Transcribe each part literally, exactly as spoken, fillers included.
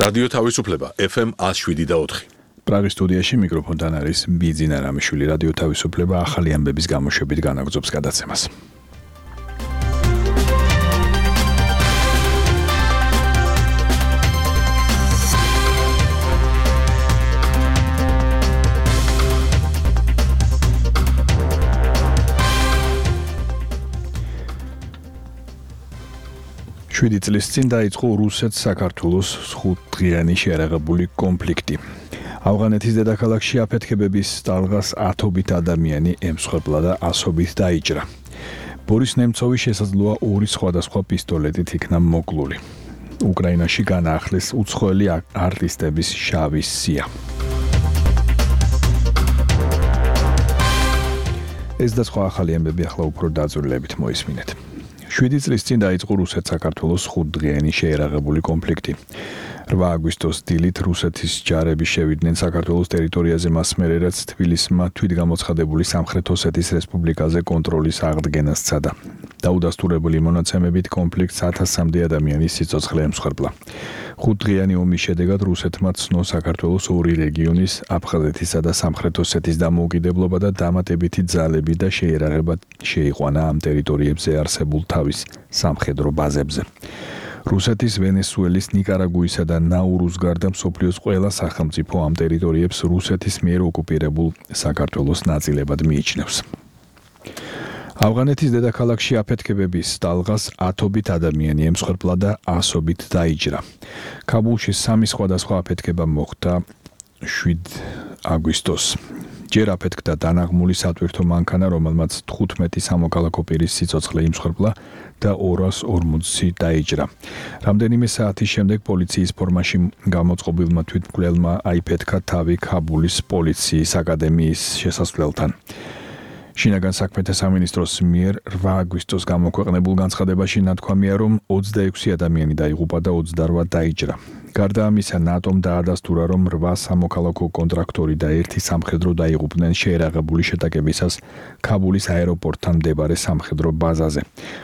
რადიო თავისუფლება ეფ ემ one oh seven point four. პრაღის სტუდიაში მიკროფონთან არის ბიძინა რამიშვილი. რადიო თავისუფლება ახალი ამბების გამოშვებით განაგრძობს გადაცემას. შვიდი წლის წინ დაიწყო რუსეთ-საქართველოს ხუთდღიანი შეერაღებული კონფლიქტი. ავღანეთის დედაქალაქში აფეთქებების ტალღას ათობით ადამიანი ემსხვერპლა და ასობით დაიჭრა. ბორის ნემცოვი შესაძლოა ორი სხვადასხვა პისტოლეტით იქნა მოკლული. უკრაინაში განაახლეს უცხოელი არტისტების შავი სია. ეს და სხვა ახალი ამბები ახლა უფრო დაწვრილებით მოისმინეთ. შვიდი წლის წინ დაიწყო რუსეთ-საქართველოს ხუთდღიანი შეერაღებული კონფლიქტი. რვა აგვისტოს დილით რუსეთის ჯარები შევიდნენ საქართველოს ტერიტორიაზე მას მერე, რაც თბილისმა თვითგამოცხადებული სამხრეთ ოსეთის რესპუბლიკაზე კონტროლის აღდგენას სცადა. დაუდასტურებული მონაცემებით კონფლიქტს ათასამდე ადამიანის სიცოცხლე ემსხვერპლა. ხუთდღიანი ომის შედეგად რუსეთმა ცნო საქართველოს ორი რეგიონის, აფხაზეთისა და სამხრეთ ოსეთის დამოუკიდებლობა და დამატებითი ძალები და შეერაღება შეიყვანა ამ ტერიტორიებზე არსებულ თავის სამხედრო ბაზებზე. რუსეთის, ვენესუელის, ნიკარაგუისა და ნაურუს გარდა მსოფლიოს ყველა სახელმწიფო ამ ტერიტორიებს რუსეთის მიერ ოკუპირებულ საქართველოს ნაწილებად მიიჩნევს. ავღანეთის დედაქალაქში აფეთქებების ტალღას ათობით ადამიანი ემსხვერპლა და ასობით დაიჭრა. ქაბულში სამი სხვადასხვა აფეთქება მოხდა შვიდ აგვისტოს. ჯერ აფეთქდა დანაღმული სატვირთო მანქანა, რომელმაც თხუთმეტი სამოქალაქო პირის სიცოცხლე იმსხვერპლა და ორას ორმოცი დაიჭრა. რამდენიმე საათის შემდეგ პოლიციის ფორმაში გამოწყობილმა თვითმკვლელმა აიფეთქა თავი ქაბულის პოლიციის აკადემიის შესასვლელთან. შინაგან საქმეთა სამინისტროს მიერ რვა აგვისტოს გამოქვეყნებულ განცხადებაში ნათქვამია, რომ ოცდაექვსი ადამიანი დაიღუპა და ოცდარვა დაიჭრა. გარდა ამისა, ნატომ დაადასტურა, რომ რვა სამოქალაქო კონტრაქტორი და ერთი სამხედრო დაიღუპნენ შეერაღებული შეტაკებისას ქაბულის აეროპორტთან მდებარე სამხედრო ბაზაზე,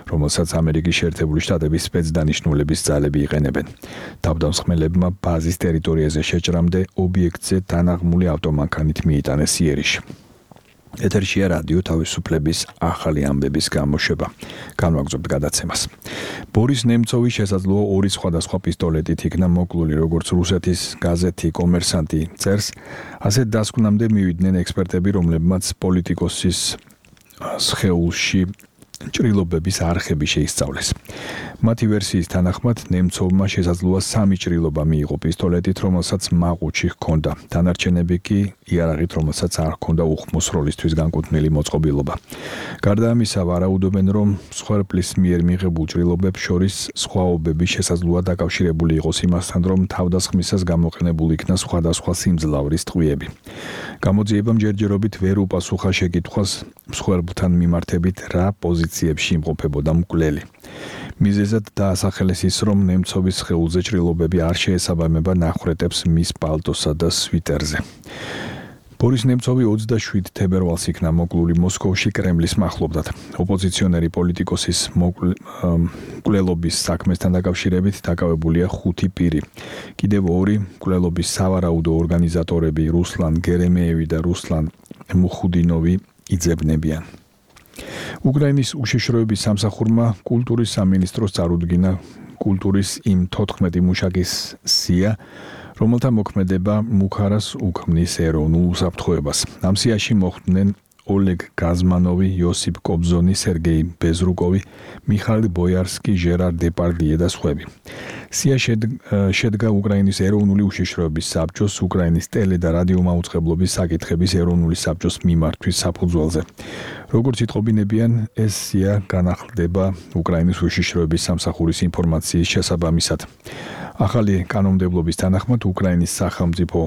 რომელსაც ამერიკის შეერთებული შტატების სპეცდანიშნულების ძალები იყენებენ. თავდამსხმელებმა ბაზის ტერიტორიაზე შეჭრამდე ობიექტზე დანაღმული ავტომანქანით მიიტანეს იერიში. ეთერშია რადიო თავისუფლების ახალი ამბების გამოშვება. განვაგრძობთ გადაცემას. ბორის ნემცოვი შესაძლოა ორი სხვადასხვა პისტოლეტით იქნა მოკლული, როგორც რუსეთის გაზეთი კომერსანტი წერს, ასე დასკვნამდე მივიდნენ ექსპერტები, რომლებმაც პოლიტიკოსის სხეულში ჭრილობების არხები შეისწავლეს. მათი ვერსიის თანახმად, ნემცოვმა შესაძლოა სამი ჭრილობა მიიღო პისტოლეტით, რომელსაც მაყუჩი ჰქონდა. დანარჩენები კი იარაღით, რომელსაც არ ჰქონდა უხმოს როლისთვის განკუთვნილი მოწყობილობა. გარდა ამისა, ვარაუდობენ, რომ მსხვერპლის მიერ მიღებულ ჭრილობებს შორის სხვაობები შესაძლოა დაკავშირებული იყოს იმასთან, რომ თავდასხმისას გამოყენებული იქნა სხვადასხვა სიმძლავრის ტყვიები. გამოძიებამ ჯერჯერობით ვერ უპასუხა შეკითხვას მსხვერპლთან მიმართებით, რა პოზიციებში იმყოფებოდა მკვლელი. მიზეზად დაასახელეს ის, რომ ნემცოვის სხეულზე ჭრილობები არ შეესაბამება ნახვრეტებს მის პალტოსა და სვიტერზე. ბორის ნემცოვი ოცდაშვიდ თებერვალს იქნა მოკლული მოსკოვში კრემლის მახლობლად. ოპოზიციონერი პოლიტიკოსის მკვლელობის საქმესთან დაკავშირებით დაკავებულია ხუთი პირი. კიდევ ორი მკვლელობის სავარაუდო ორგანიზატორები რუსლან გერემეევი და რუსლან მუხუდინოვი იძებნებიან. უკრაინის უშიშროების სამსახურმა კულტურის სამინისტროს წარუდგინა კულტურის იმ თოთხმეტი მუშაკის სია, რომელთა მოქმედება მუხარას უქმნის ეროვნულ უსაფრთხოებას. ამ სიაში მოხვდნენ ოლეგ გაზმანოვი, იოსიპ კობზონი, სერგეი ბეზრუკოვი, მიხაილ ბოიარსკი, ჟერარ დეპარდიე და სხვები. სია შედგა უკრაინის ეროვნული უშიშროების საბჭოს, უკრაინის ტელე და რადიო მაუწყებლობის საკითხების ეროვნული საბჭოს მიმართვის საფუძველზე. როგორც იტყობინებიან, ეს სია განახლდება უკრაინის უშიშროების სამსახურის ინფორმაციის შესაბამისად. ახალი კანონმდებლობის თანახმად უკრაინის სახელმწიფო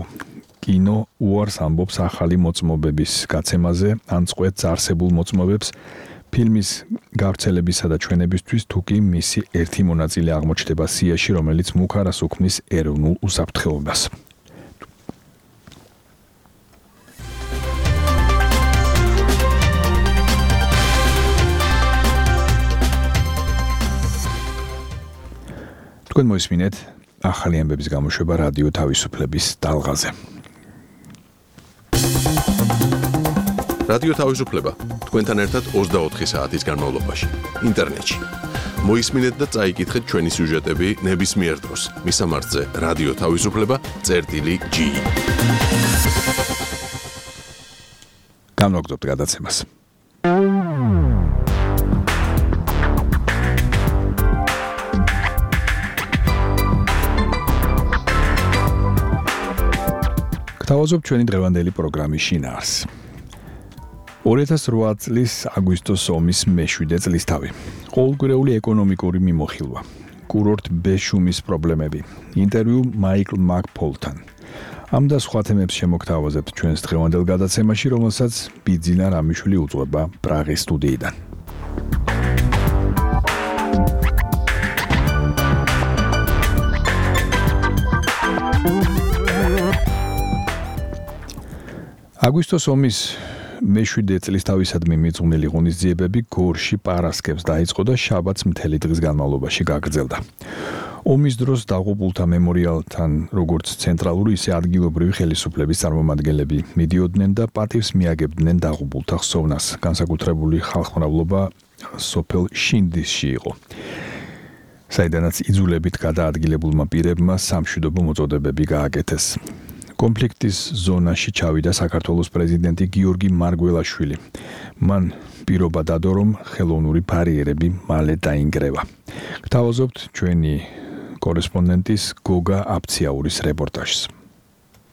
კინო უარს ამბობს ახალი მოწმობების გაცემაზე, ან წყვეტს არსებულ მოწმობებს ფილმის გავრცელებისა და ჩვენებისთვის, თუ კი მისი ერთი მონაწილე აღმოჩნდება სიაში, რომელიც მუხარას უქმნის ეროვნულ უსაფრთხოებას. თქვენ მოისმინეთ ახალი ამბების გამოშვება რადიო თავისუფლების ტალღაზე. რადიო თავისუფლება თქვენთან ერთად ოცდაოთხი საათის განმავლობაში ინტერნეტში. მოისმინეთ და წაიკითხეთ ჩვენი სიუჟეტები ნებისმიერ დროს მისამართზე რადიო თავისუფლება წერტილი ჯი. განვაგრძობთ გადაცემას. გთავაზობ ჩვენი დღევანდელი პროგრამის შინაარს. ორი ათას რვა წლის აგვისტოს ომის მეშვიდე წლისთავი. ყოველკვირეული ეკონომიკური მიმოხილვა. კურორტ ბეშუმის პრობლემები. ინტერვიუ მაიკლ მაკფოლთან. ამ და სხვა თემებს შემოგთავაზებთ ჩვენს დღევანდელ გადაცემაში, რომელსაც ბიძინა რამიშვილი უძღვება პრაღის სტუდიიდან. აგვისტოს ომის მეშვიდე წლისთავისადმი მიძღვნილი ღონისძიებები გორში პარასკევს დაიწყო და შაბათს მთელი დღის განმავლობაში გაგრძელდა. ომის დროს დაღუპულთა მემორიალთან როგორც ცენტრალური, ისე ადგილობრივი ხელისუფლების წარმომადგენლები მიდიოდნენ და პატივს მიაგებდნენ დაღუპულთა ხსოვნას. განსაკუთრებული ხალხმრავლობა სოფელ შინდისში იყო, საიდანაც იძულებით გადაადგილებულმა პირებმა სამშვიდობო მოწოდებები გააკეთეს. კონფლიქტის ზონაში ჩავიდა საქართველოს პრეზიდენტი გიორგი მარგველაშვილი. მან პირობა დადო, რომ ხელოვნური ბარიერები მალე დაინგრევა. გთავაზობთ ჩვენი კორესპონდენტის გოგა აფციაურის რეპორტაჟს.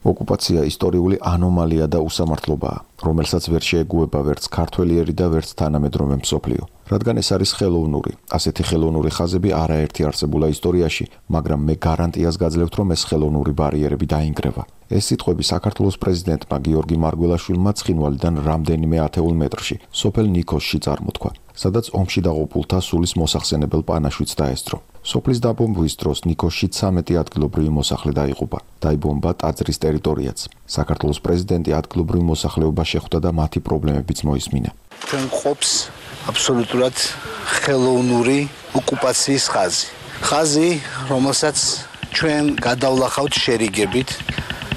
ოკუპაცია ისტორიული ანომალია და უსამართლობაა, რომელსაც ვერ შეეგუება ვერც ქართველიერი და ვერც თანამედროვე მსოფლიო. რადგან ეს არის ხელოვნური, ასეთი ხელოვნური ხაზები არაერთი არსებულა ისტორიაში, მაგრამ მე გარანტიას გაძლევთ, რომ ეს ხელოვნური ბარიერები დაინგრევა. ეს სიტყვები საქართველოს პრეზიდენტმა გიორგი მარგველაშვილმა ცხინვალიდან რამდენიმე ათეულ მეტრში, სოფელ ნიქოსში წარმოთქვა, სადაც ომში დაღუპულთა სულის მოსახსენებელ პანაშვიდს დაესწრო. სოფლის დაბომბვის დროს ნიქოსში ცამეტი ადგილობრივი მოსახლე დაიღუპა. დაიბომბა ტაძრის ტერიტორიაც. საქართველოს პრეზიდენტი ადგილობრივ მოსახლეობას შეხვდა და მათი პრობლემებიც მოისმინა. ჩვენ ყოფს აბსოლუტურად ხელოვნური ოკუპაციის ხაზი. ხაზი, რომელსაც ჩვენ გადავლახავთ შერიგებით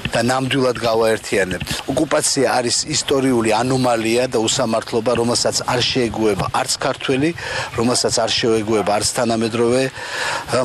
და ნამდვილად გავაერთიანებთ. ოკუპაცია არის ისტორიული ანომალია და უსამართლობა, რომელსაც არ შეეგუება არც ქართველი, რომელსაც არ შეეგუება არც თანამედროვე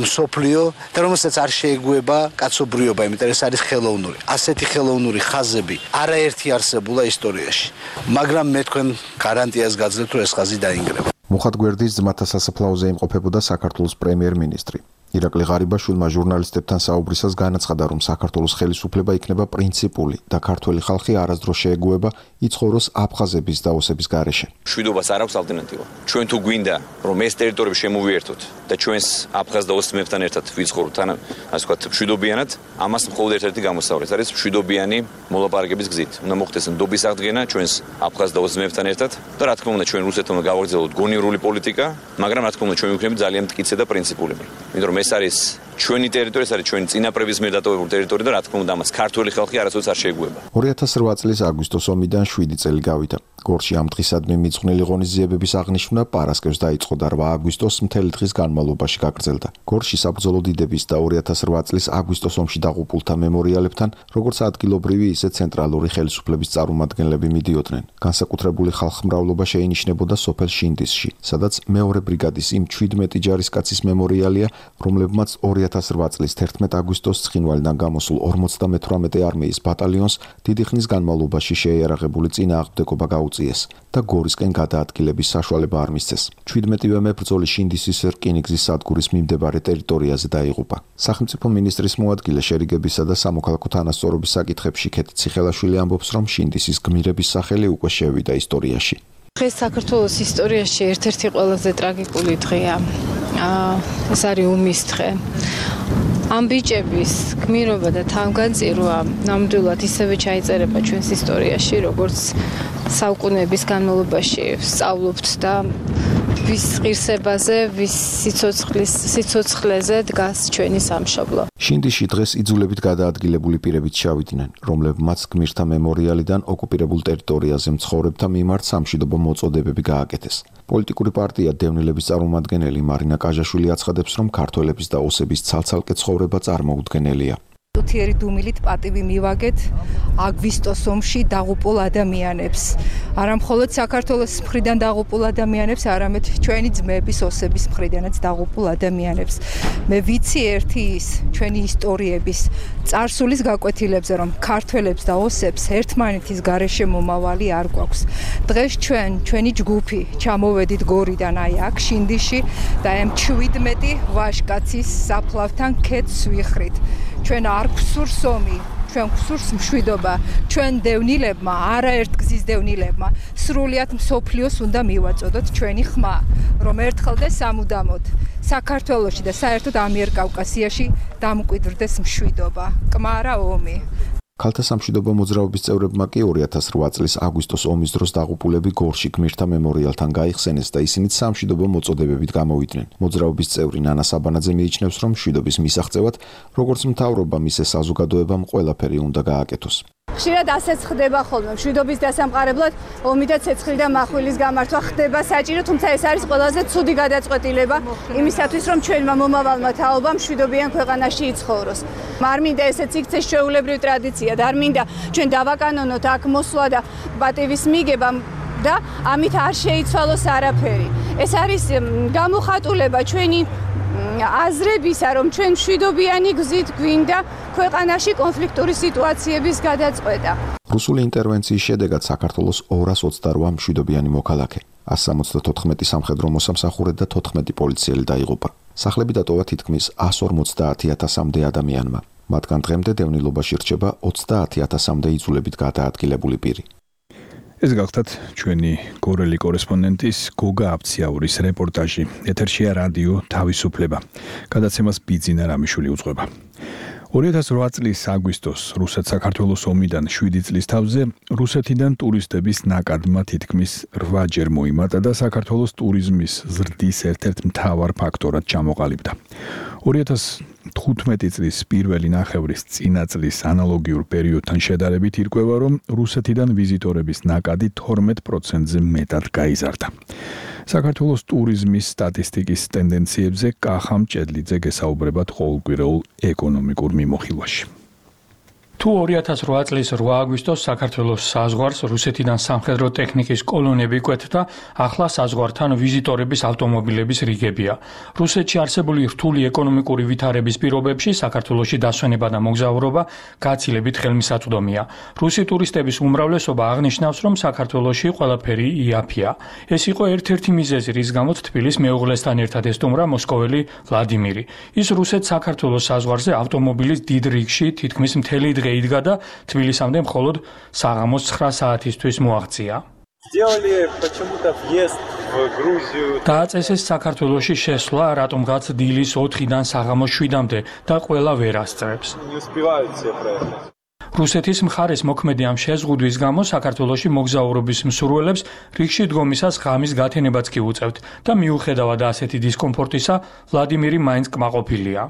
მსოფლიო და რომელსაც არ შეეგუება კაცობრიობა, იმიტომ რომ ეს არის ხელოვნური. ასეთი ხელოვნური ხაზები არაერთი არსებულა ისტორიაში. მაგრამ მე თქვენ გარანტიას გაძლევთ, რომ ეს ხაზი დაინგრევა. მუხად გვერდის ძმათა სასაფლაოზე იმყოფებოდა საქართველოს პრემიერ-მინისტრი. ირაკლი ღარიბაშვილმა ჟურნალისტებთან საუბრისას განაცხადა, რომ საქართველოს ხელისუფლება იქნება პრინციპული და ქართველი ხალხი არასდროს შეეგუება იცხოვროს აფხაზების დაოსების გარეშე. მშვიდობას არ აქვს ალტერნატივა. ჩვენ თუ გვინდა, რომ ეს ტერიტორიები შემოვიერთოთ და ჩვენს აფხაზ დაოსებთან ერთად ვიცხოვროთ, ან ასე ვთქვათ, მშვიდობიანად, ამას მხოლოდ ერთ-ერთი გამოსავალი არის მშვიდობიანი მოლაპარაკების გზით. უნდა მოხდეს ნდობის აღდგენა ჩვენს აფხაზ დაოსებთან ერთად და რა თქმა უნდა, ჩვენ რუსეთთან გავაგრძელოთ გონივრული პოლიტიკა, მაგრამ რა თქმა უნდა, ჩვენ ვიქნებით ძალიან მტკიცე და პრინციპულები. იმიტომ ეს არის ჩვენი ტერიტორია, ეს არის ჩვენი წინაპრების მიერ დატოვებული ტერიტორია და რა თქმა უნდა, ამას ქართველი ხალხი არასოდეს არ შეეგუება. ორი ათას რვა წლის აგვისტოს ომიდან შვიდი წელი გავიდა. გორში ამ დღისადმი მიძღვნილი ღონისძიებების აღნიშვნა პარასკევს დაიწყო და რვა აგვისტოს მთელი დღის განმავლობაში გაგრძელდა. გორში საბრძოლო დიდების და ორი ათას რვა წლის აგვისტოს ომში დაღუპულთა მემორიალებთან, როგორც ადგილობრივი, ისე ცენტრალური ხელისუფლების წარმომადგენლები მიდიოდნენ. განსაკუთრებული ხალხმრავლობა შეინიშნებოდა სოფელ შინდისში, სადაც მეორე ბრიგადის იმ ჩვიდმეტი ჯარისკაცის მემორიალია, რომლებმაც ორი ათას რვა წლის თერთმეტ აგვისტოს ცხინვალიდან გამოსულ ორმოცდამეთვრამეტე არმიის ბატალიონს დიდი ხნის განმავლობაში შეიარაღებული წინააღმდეგობა გაუწიეს და გორისკენ გადაადგილების საშუალება არ მისცეს. ჩვიდმეტივე მებრძოლი შინდისის რკინიგზის სადგურის მიმდებარე ტერიტორიაზე დაიღუპა. სახელმწიფო მინისტრის მოადგილე შერიგებისა და სამოქალაქო თანასწორობის საკითხებში ქეთი ციხელაშვილი ამბობს, რომ შინდისის გმირების სახელი უკვე შევიდა ისტორიაში. დღეს საქართველოს ისტორიაში ერთ-ერთი ყველაზე ტრაგიკული დღეა. ეს არის ომის დღე. ამ ბიჭების გმირობა და თავგანწირვა ნამდვილად ისევე ჩაიწერება ჩვენს ისტორიაში, როგორც საუკუნეების განმავლობაში სწავლობთ და ვის ღირსებაზე, ვის სიცოცხლის სიცოცხლეზე დგას ჩვენი სამშობლო. შინდიში დღეს იძულებით გადაადგილებული პირებით ჩავიდნენ, რომლებმაც გმირთა მემორიალიდან ოკუპირებულ ტერიტორიაზე მცხოვრებთა მიმართ სამშვიდობო მოწოდებები გააკეთეს. პოლიტიკური პარტია დევნილების წარმომადგენელი მარინა კაჟაშვილი აცხადებს, რომ ქართველების და ოსების ცალ-ცალკე ცხოვრება წარმოუდგენელია. თუთიერი დუმილით პატივი მივაგეთ აგვისტოს ომში დაღუპულ ადამიანებს. არა მხოლოდ საქართველოს მხრიდან დაღუპულ ადამიანებს, არამედ ჩვენი ძმების ოსების მხრიდანაც დაღუპულ ადამიანებს. მე ვიცი ერთი ის ჩვენი ისტორიების წარსულის გაკვეთილებზე, რომ ქართველებს და ოსებს ერთმანეთის გარეშე მომავალი არ გვაქვს. დღეს ჩვენ, ჩვენი ჯგუფი ჩამოვედით გორიდან აი აქ შინდიში და ამ ჩვიდმეტი ვაჟკაცის საფლავთან ქეთს ვიხრით. ჩვენ არ გვსურს ომი, ჩვენ გვსურს მშვიდობა, ჩვენ დევნილებმა, არაერთ გზის დევნილებმა, სრულიად მსოფლიოს უნდა მივაწოდოთ ჩვენი ხმა, რომ ერთხელ და სამუდამოდ საქართველოში და საერთოდ ამიერკავკასიაში დამკვიდრდეს მშვიდობა, კმარა ომი. ქალთა სამშვიდობო მოძრაობის წევრებმა კი ორი ათას რვა წლის აგვისტოს ომის დროს დაღუპულები გორში გმირთა მემორიალთან გაიხსენეს და ისინიც სამშვიდობო მოწოდებებით გამოვიდნენ. მოძრაობის წევრი ნანა საბანაძე მიიჩნევს, რომ მშვიდობის მისაღწევად, როგორც მთავრობამ, ისე საზოგადოებამ ყველაფერი უნდა გააკეთოს. ხშირად ასეც ხდება ხოლმე მშვიდობის დასამყარებლად ომი და ცეცხლი და מחვილის გამართვა ხდება საჭირო, თუმცა ეს არის ყველაზე ცუდი გადაწყვეტილება იმისათვის, რომ ჩვენმა მომავალმა თაობამ მშვიდობიან ქვეყანაში იცხოვროს. არ მინდა ესეც იქცეს ჩვეულებრივ ტრადიციად, არ მინდა ჩვენ დავაკანონოთ აქ მოსვლა და პატივის მიგება და ამით არ შეიცვალოს არაფერი. ეს არის გამოხატულება ჩვენი აზრებისა, რომ ჩვენ მშვიდობიანი გზით გვინდა ქვეყანაში კონფლიქტური სიტუაციების გადაწყვეტა. რუსული ინტერვენციის შედეგად საქართველოს ორას ოცდარვა მშვიდობიანი მოქალაქე, ას სამოცდათოთხმეტი სამხედრო მოსამსახურე და თოთხმეტი პოლიციელი დაიღუპა. სახლები დატოვა თითქმის ას ორმოცდაათი ათასამდე ადამიანმა. მათგან დღემდე დევნილობაში რჩება ოცდაათი ათასამდე იძულებით გადაადგილებული პირი. ეს გახლდათ ჩვენი გორელი კორესპონდენტის გოგა აბციაურის რეპორტაჟი. ეთერშია რადიო თავისუფლება. გადაცემას ბიძინა რამიშვილი უძღვება. ორი ათას რვა წლის აგვისტოს რუსეთ-საქართველოს ომიდან შვიდი წლის თავზე რუსეთიდან ტურისტების ნაკადმა თითქმის რვაჯერ მოიმატა და საქართველოს ტურიზმის ზრდის ერთ-ერთ მთავარ ფაქტორად ჩამოყალიბდა. ორი ათას თხუთმეტი წლის პირველი ნახევრის წინა წლის ანალოგიურ პერიოდთან შედარებით ირკვევა, რომ რუსეთიდან ვიზიტორების ნაკადი თორმეტ პროცენტზე მეტად გაიზარდა. საქართველოს ტურიზმის სტატისტიკის ტენდენციებზე კახა მჭედლიძე გესაუბრებათ ყოველკვირეულ ეკონომიკურ მიმოხილვაში. თუ ორი ათას რვა წლის რვა აგვისტოს საქართველოს საზღვარს რუსეთიდან სამხედრო ტექნიკის კოლონები კვეთდა, ახლა საზღვართან ვიზიტორების ავტომობილების რიგებია. რუსეთში არსებული რთული ეკონომიკური ვითარების პირობებში საქართველოში დასვენება და მოგზაურობა გაცილებით ხელმისაწვდომია. რუსი ტურისტების უმრავლესობა აღნიშნავს, რომ საქართველოში ყველაფერი იაფია. ეს იყო ერთ-ერთი მიზეზი, რის გამოც თბილის მეუღლესთან ერთად ესტუმრა მოსკოველი ვლადიმირი. ის რუსეთ-საქართველოს საზღვარზე ავტომობილის დიდ რიგში თითქმის მთელი დღე იდგა და თბილისამდე მხოლოდ საღამოს ცხრა საათისთვის მოაღწია. დააწესეს საქართველოში შესვლა, რატომღაც დილის ოთხიდან საღამოს შვიდამდე და ყველა ვერ ასწრებს. რუსეთის მხარეს მოქმედი ამ შეზღუდვის გამო საქართველოში მოგზაურობის მსურველებს რიგში დგომისას ღამის გათენებაც კი უწევთ და მიუხედავად ასეთი დისკომფორტისა, ვლადიმირი მაინც კმაყოფილია.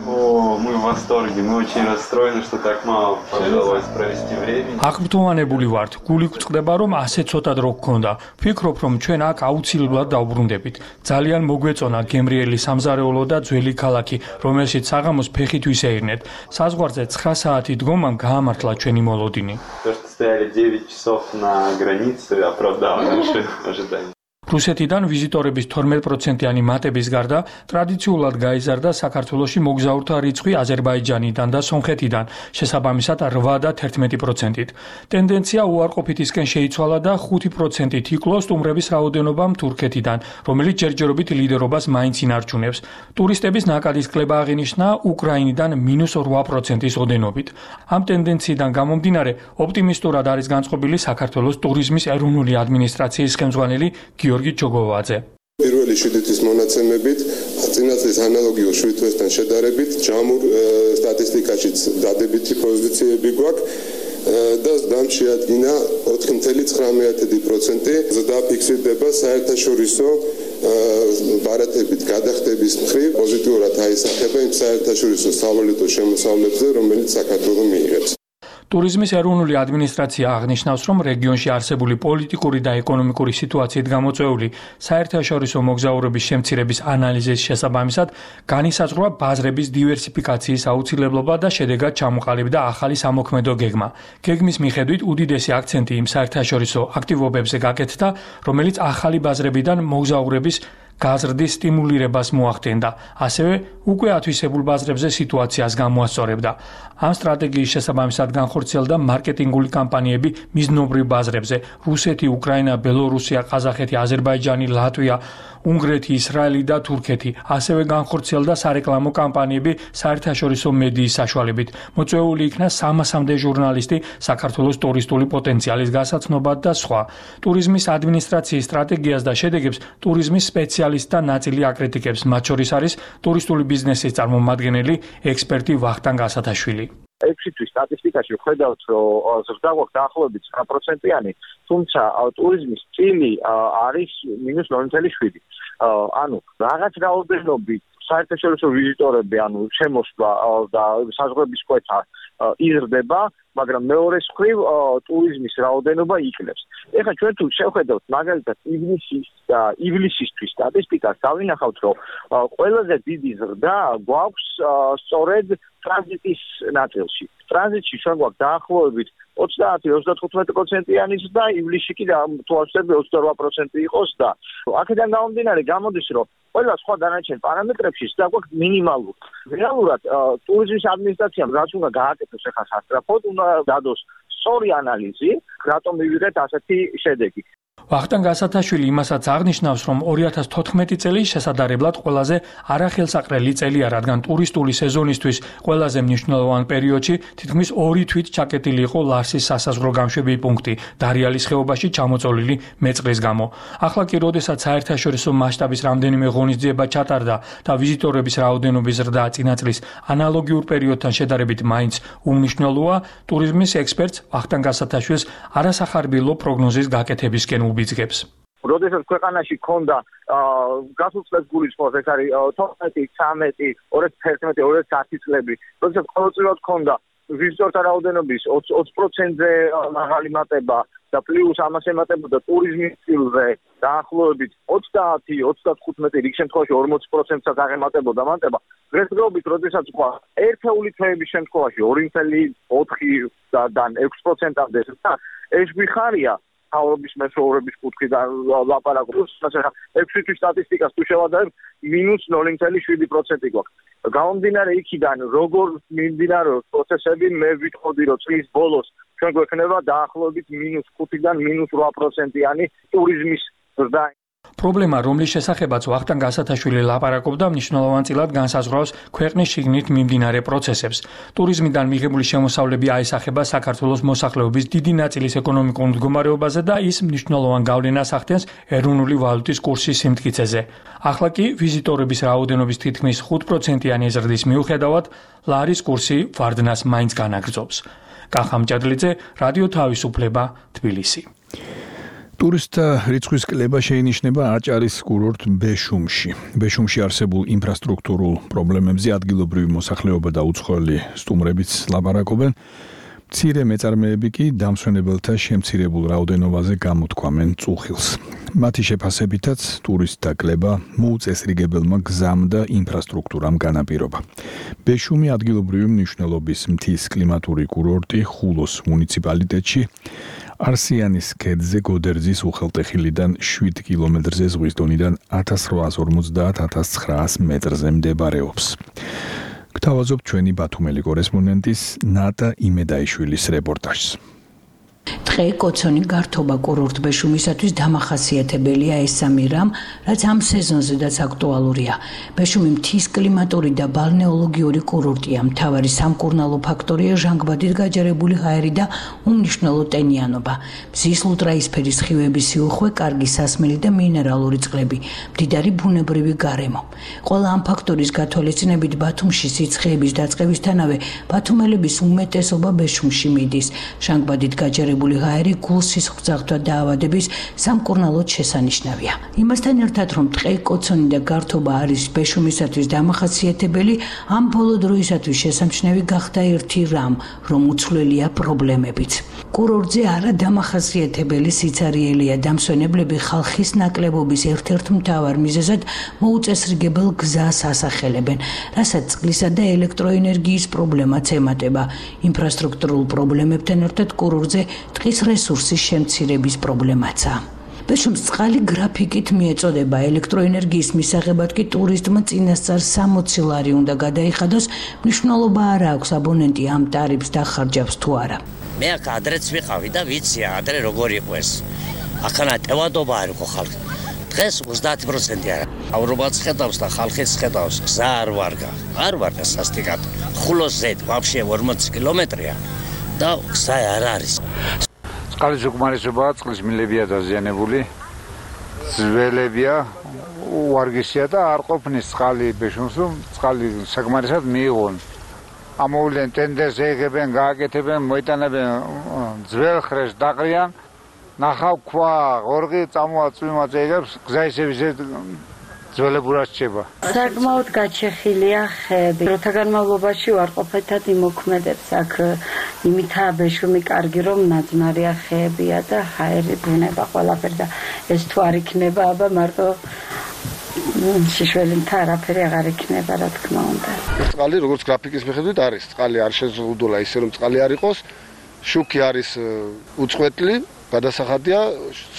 О, мы в восторге, мы очень расстроены, что так мало удалось провести времени. აღბრძოვანებული ვართ, გული გვწყდება, რომ ასე ცოტა დრო გქონდა. ვფიქრობ, რომ ჩვენ აქ აუცილებლად დავბრუნდებით. ძალიან მოგვეწონა გემრიელი სამზარეულო და ძველი ქალაქი, რომელშიც საღამოს ფეხით ვისეირნეთ. საზღვარზე ცხრა საათი დგომამ გაამართლა ჩვენი მოლოდინი. То, что стояли девять часов на границе, оправдало наши ожидания. რუსეთიდან ვიზიტორების თორმეტ პროცენტიანი მატების გარდა ტრადიციულად გაიზარდა საქართველოში მოგზაურთა რიცხვი აზერბაიჯანიდან და სომხეთიდან, შესაბამისად რვა და თერთმეტი პროცენტით. ტენდენცია უარყოფითისკენ შეიცვალა და ხუთი პროცენტით იკლო სტუმრების რაოდენობამ თურქეთიდან, რომელიც ჯერჯერობით ლიდერობას მაინც ინარჩუნებს. ტურისტების ნაკადის კლება აღინიშნა უკრაინიდან მინუს რვა პროცენტის ოდენობით. ამ ტენდენციიდან გამომდინარე, ოპტიმისტურად არის განწყობილი საქართველოს ტურიზმის ეროვნული ადმინისტრაციის ხელმძღვანელი გიორგი ჯოგოვაძე. პირველი შვიდი თვის მონაცემებით, წინა წლის ანალოგიურ შვიდი თვესთან შედარებით, ჯამურ სტატისტიკაშიც დადებითი პოზიციები გვაქვს და დამშეადგინა ოთხი წუთი ცხრამეტი პროცენტი ზრდა ფიქსირდება საერთაშორისო ბარათებით გადახდების მხრივ პოზიტიურად აისახება იმ საერთაშორისო სავალუტო შემოსავლებზე, რომელიც საქართველო მიიღებს. ტურიზმის ეროვნული ადმინისტრაცია აღნიშნავს, რომ რეგიონში არსებული პოლიტიკური და ეკონომიკური სიტუაციით გამოწვეული საერთაშორისო მოგზაურობის შემცირების ანალიზის შესაბამისად განისაზღვრა ბაზრების დივერსიფიკაციის აუცილებლობა და შედეგად ჩამოყალიბდა ახალი სამოქმედო გეგმა. გეგმის მიხედვით უდიდესი აქცენტი იმ საერთაშორისო აქტივობებზე გაკეთდა, რომელიც ახალი ბაზრებიდან მოგზაურების გაზრდის სტიმულირებას მოახდენდა, ასევე უკვე ათვისებულ ბაზრებზე სიტუაციას გამოასწორებდა. ამ სტრატეგიის შესაბამისად განხორციელდა მარკეტინგული კამპანიები მიზნობრივ ბაზრებზე: რუსეთი, უკრაინა, ბელორუსია, ყაზახეთი, აზერბაიჯანი, ლატვია, უნგრეთი, ისრაელი და თურქეთი. ასევე განხორციელდა სარეკლამო კამპანიები საერთაშორისო მედიის საშუალებით. მოწვეული იქნა სამასამდე ჟურნალისტი, საქართველოს ტურისტული პოტენციალის გასაცნობად და სხვა. ტურიზმის ადმინისტრაციის სტრატეგიას და შედეგებს ტურიზმის სპეციალისტთა ნაწილი აკრიტიკებს, მათ შორის არის ტურისტული ბიზნესის წარმომადგენელი ექსპერტი ვახტანგ ასათაშვილი. ექვსი თვის სტატისტიკაში ვხედავთ, რომ ზრდა გვაქვს დაახლოებით ცხრა პროცენტიანი, თუმცა ტურიზმის წილი არის მინუს ნული წელი შვიდი. ანუ რაღაც რაოდენობით საერთაშორისო ვიზიტორები, ანუ შემოსვლა და საზღვრების კვეთა იზრდება, მაგრამ მეორეს მხრივ ტურიზმის რაოდენობა იკლებს. ეხლა ჩვენ თუ შევხედავთ მაგალითად ივნისის და ივლისისთვის სტატისტიკას, დავინახავთ, რომ ყველაზე დიდი ზრდა გვაქვს სწორედ ტრანზიტის ნაწილში. ტრანზიტში ჩვენ გვაქვს დაახლოებით ოცდაათი ოცდათხუთმეტი პროცენტიანი ზრდა, ივლისში კი თუ ავსებდი ოცდარვა პროცენტი იყოს და აქედან გამომდინარე გამოდის, რომ ყველა სხვა დანარჩენ პარამეტრებში ზრდა გვაქვს მინიმალური. რეალურად ტურიზმის ადმინისტრაციამ რაც უნდა გააკეთოს ახლა სასწრაფოდ, უნდა დადოს სწორი ანალიზი, რატომ მივიღეთ ასეთი შედეგი. ვახტანგ ასათაშვილი იმასაც აღნიშნავს, რომ ორი ათას თოთხმეტი წელი შესაძლებლად ყველაზე არახელსაყრელი წელია, რადგან ტურისტული სეზონისთვის ყველაზე მნიშვნელოვან პერიოდში თითქმის ორი თვით ჩაკეტილი იყო ლარსის სასაზღვრო გამშვები პუნქტი დარიალის ხეობაში ჩამოწოლილი მეწყრის გამო. ახლა კი, როდესაც საერთაშორისო მასშტაბის რამდენიმე ღონისძიება ჩატარდა და ვიზიტორების რაოდენობის ზრდა წინა წლის ანალოგიურ პერიოდთან შედარებით მაინც უმნიშვნელოა, ტურიზმის ექსპერტს ვახტანგ ასათაშვილს არასახარბიელო პროგნოზის გაკეთებისკენ უბიძგებს. როდესაც ქვეყანაში ქონდა გასულ წლებს გულისხმობს, ეს არის თორმეტი, ცხრამეტი, ორი ათას ერთმეტი, ორი ათას ათი წლები, როდესაც ყოველწლიურად ქონდა ვიზიტორთა რაოდენობის ოცი პროცენტზე მაღალი მატება და პლუს ამას ემატებოდა ტურიზმის წილზე დაახლოებით ოცდაათი ოცდათხუთმეტი, რიგ შემთხვევაში ორმოცი პროცენტსაც აღემატებოდა მატება. დღესდღეობით, როდესაც ყვა ერთეული თვეების შემთხვევაში ორი წელი ოთხიდან ექვსი პროცენტამდე და ეს გვიხარია თავრობის მეთაურების კუთხიდან ლაპარაკობს, მაგრამ ექვსი თვის სტატისტიკას თუ შევადარებ, მინუს ნული წელი შვიდი პროცენტი გვაქვს. გამომდინარე იქიდან, როგორ მიმდინარეობს პროცესები, მე ვიტყოდი, რომ წლის ბოლოს ჩვენ გვექნება დაახლოებით მინუს ხუთიდან მინუს რვა პროცენტიანი ტურიზმის ზრდა. პრობლემა, რომლის შესახებაც ვახტანგ ასათაშვილი ლაპარაკობდა, მნიშვნელოვანწილად განსაზღვრავს ქვეყნის შიგნით მიმდინარე პროცესებს. ტურიზმიდან მიღებული შემოსავლები აისახება საქართველოს მოსახლეობის დიდი ნაწილის ეკონომიკურ მდგომარეობაზე და ის მნიშვნელოვან გავლენას ახდენს ეროვნული ვალუტის კურსის სიმტკიცეზე. ახლა კი ვიზიტორების რაოდენობის თითქმის ხუთ პროცენტიანი ზრდის მიუხედავად, ლარის კურსი ვარდნას მაინც განაგრძობს. კახამ ჭადლიძე, რადიო თავისუფლება, თბილისი. ტურისტთა რიცხვის კლება შეინიშნება აჭარის კურორტ ბეშუმში. ბეშუმში არსებულ ინფრასტრუქტურულ პრობლემებზე ადგილობრივი მოსახლეობა და უცხოელი სტუმრებიც ლაპარაკობენ. მცირე მეწარმეები კი დამსვენებელთა შემცირებულ რაოდენობაზე გამოთქვამენ წუხილს. მათი შეფასებითაც ტურისტთა კლება მოუწესრიგებელმა გზამ და ინფრასტრუქტურამ განაპირობა. ბეშუმი ადგილობრივი მნიშვნელობის მთის კლიმატური კურორტი ხულოს მუნიციპალიტეტში არსიანის ქედზე გოდერძის უხელტეხილიდან შვიდ კილომეტრზე ზღვის დონიდან ათას რვაას ორმოცდაათ ათას ცხრაას მეტრზე მდებარეობს. გთავაზობ ჩვენი ბათუმელი კორესპონდენტის ნატა იმედაიშვილის რეპორტაჟს. დღე კოცონი გართობა კურორტ ბეშუმისათვის დამახასიათებელია ეს სამი რამ, რაც ამ სეზონზედაც აქტუალურია. ბეშუმი მთის კლიმატური და ბალნეოლოგიური კურორტია. მთავარი სამკურნალო ფაქტორია ჟანგბადით გაჯერებული ჰაერი და უმნიშვნელო ტენიანობა. მზის ლუტრაისფერი სხივების სიუხვე, კარგი სასმელი და მინერალური წყლები, მდიდარი ბუნებრივი გარემო. ყველა ამ ფაქტორის გათვალისწინებით ბათუმში სიცხეების დაწყებისთანავე ბათუმელების უმეტესობა ბეშუმში მიდის. ჟანგბადით გაჯერებული გაჭერებული ჰაერი გულსის ღვთაღვთვა დაავადების სამკურნალოდ შესანიშნავია. იმასთან ერთად, რომ ტყე-კოცონი და გართობა არის ბეშუმისათვის დამახასიათებელი, ამ ბოლო დროისათვის შესამჩნევი გახდა ერთი რამ, რომ უცვლელია პრობლემებიც. კურორტზე არა დამახასიათებელი სიცარიელია დამსვენებლები ხალხის ნაკლებობის ერთ-ერთ მთავარ მიზეზად მოუწესრიგებელ გზას ასახელებენ, რასაც წყლისა და ელექტროენერგიის პრობლემაც ემატება. ინფრასტრუქტურულ პრობლემებთან ერთად კურორტზე ტყის რესურსის შემცირების პრობლემაცაა. ბეშუმს წყალი გრაფიკით მიეწოდება, ელექტროენერგიის მისაღებად კი ტურისტმა წინასწარ სამოცი ლარი უნდა გადაიხადოს, მნიშვნელობა არ აქვს აბონენტი ამ ტარიფს დახარჯავს თუ არა. მე აქ ადრეც ვიყავი და ვიცი ადრე როგორ იყო ეს. ახლა ტევადობა არ იყო ხალხი. დღეს ოცდაათი პროცენტი არა. ავრობაც ხედავს და ხალხიც ხედავს, გზა არ ვარგა. არ ვარგა სასტიკად. ხულოს ზედ ვაფშე ორმოცი კილომეტრია და გზა არ არის. წყლის უკმარისობაა, წყლის მილებია დაზიანებული. ძველებია, უარგისია და არ ყოფნის წყალი ბეშუმს, რომ წყალი საკმარისად მიიღონ. ამოვლენ ტენდერს ეღებენ, გააკეთებენ, მოიტანებენ ძველ ხრეს დაყრიან, ნახავ ქვა, ღორღი წამოაწვიმა წეგებს, გზა ისევ ისე ძველებურად რჩება. საკმაოდ გაჩეხილია ხეები. დროთა განმავლობაში უარყოფითად იმოქმედებს აქ იმითაა ბეშუმი კარგი, რომ ნაძვნარია ხეებია და ჰაერი ბუნება ყველაფერი და ეს თუ არ იქნება, აბა მარტო შიშველინთა არაფერი აღარ იქნება, რა თქმა უნდა. წყალი როგორც გრაფიკის მიხედვით არის, წყალი არ შეზღუდულა ისე რომ წყალი არ იყოს, შუქი არის უწყვეტლი, გადასახადია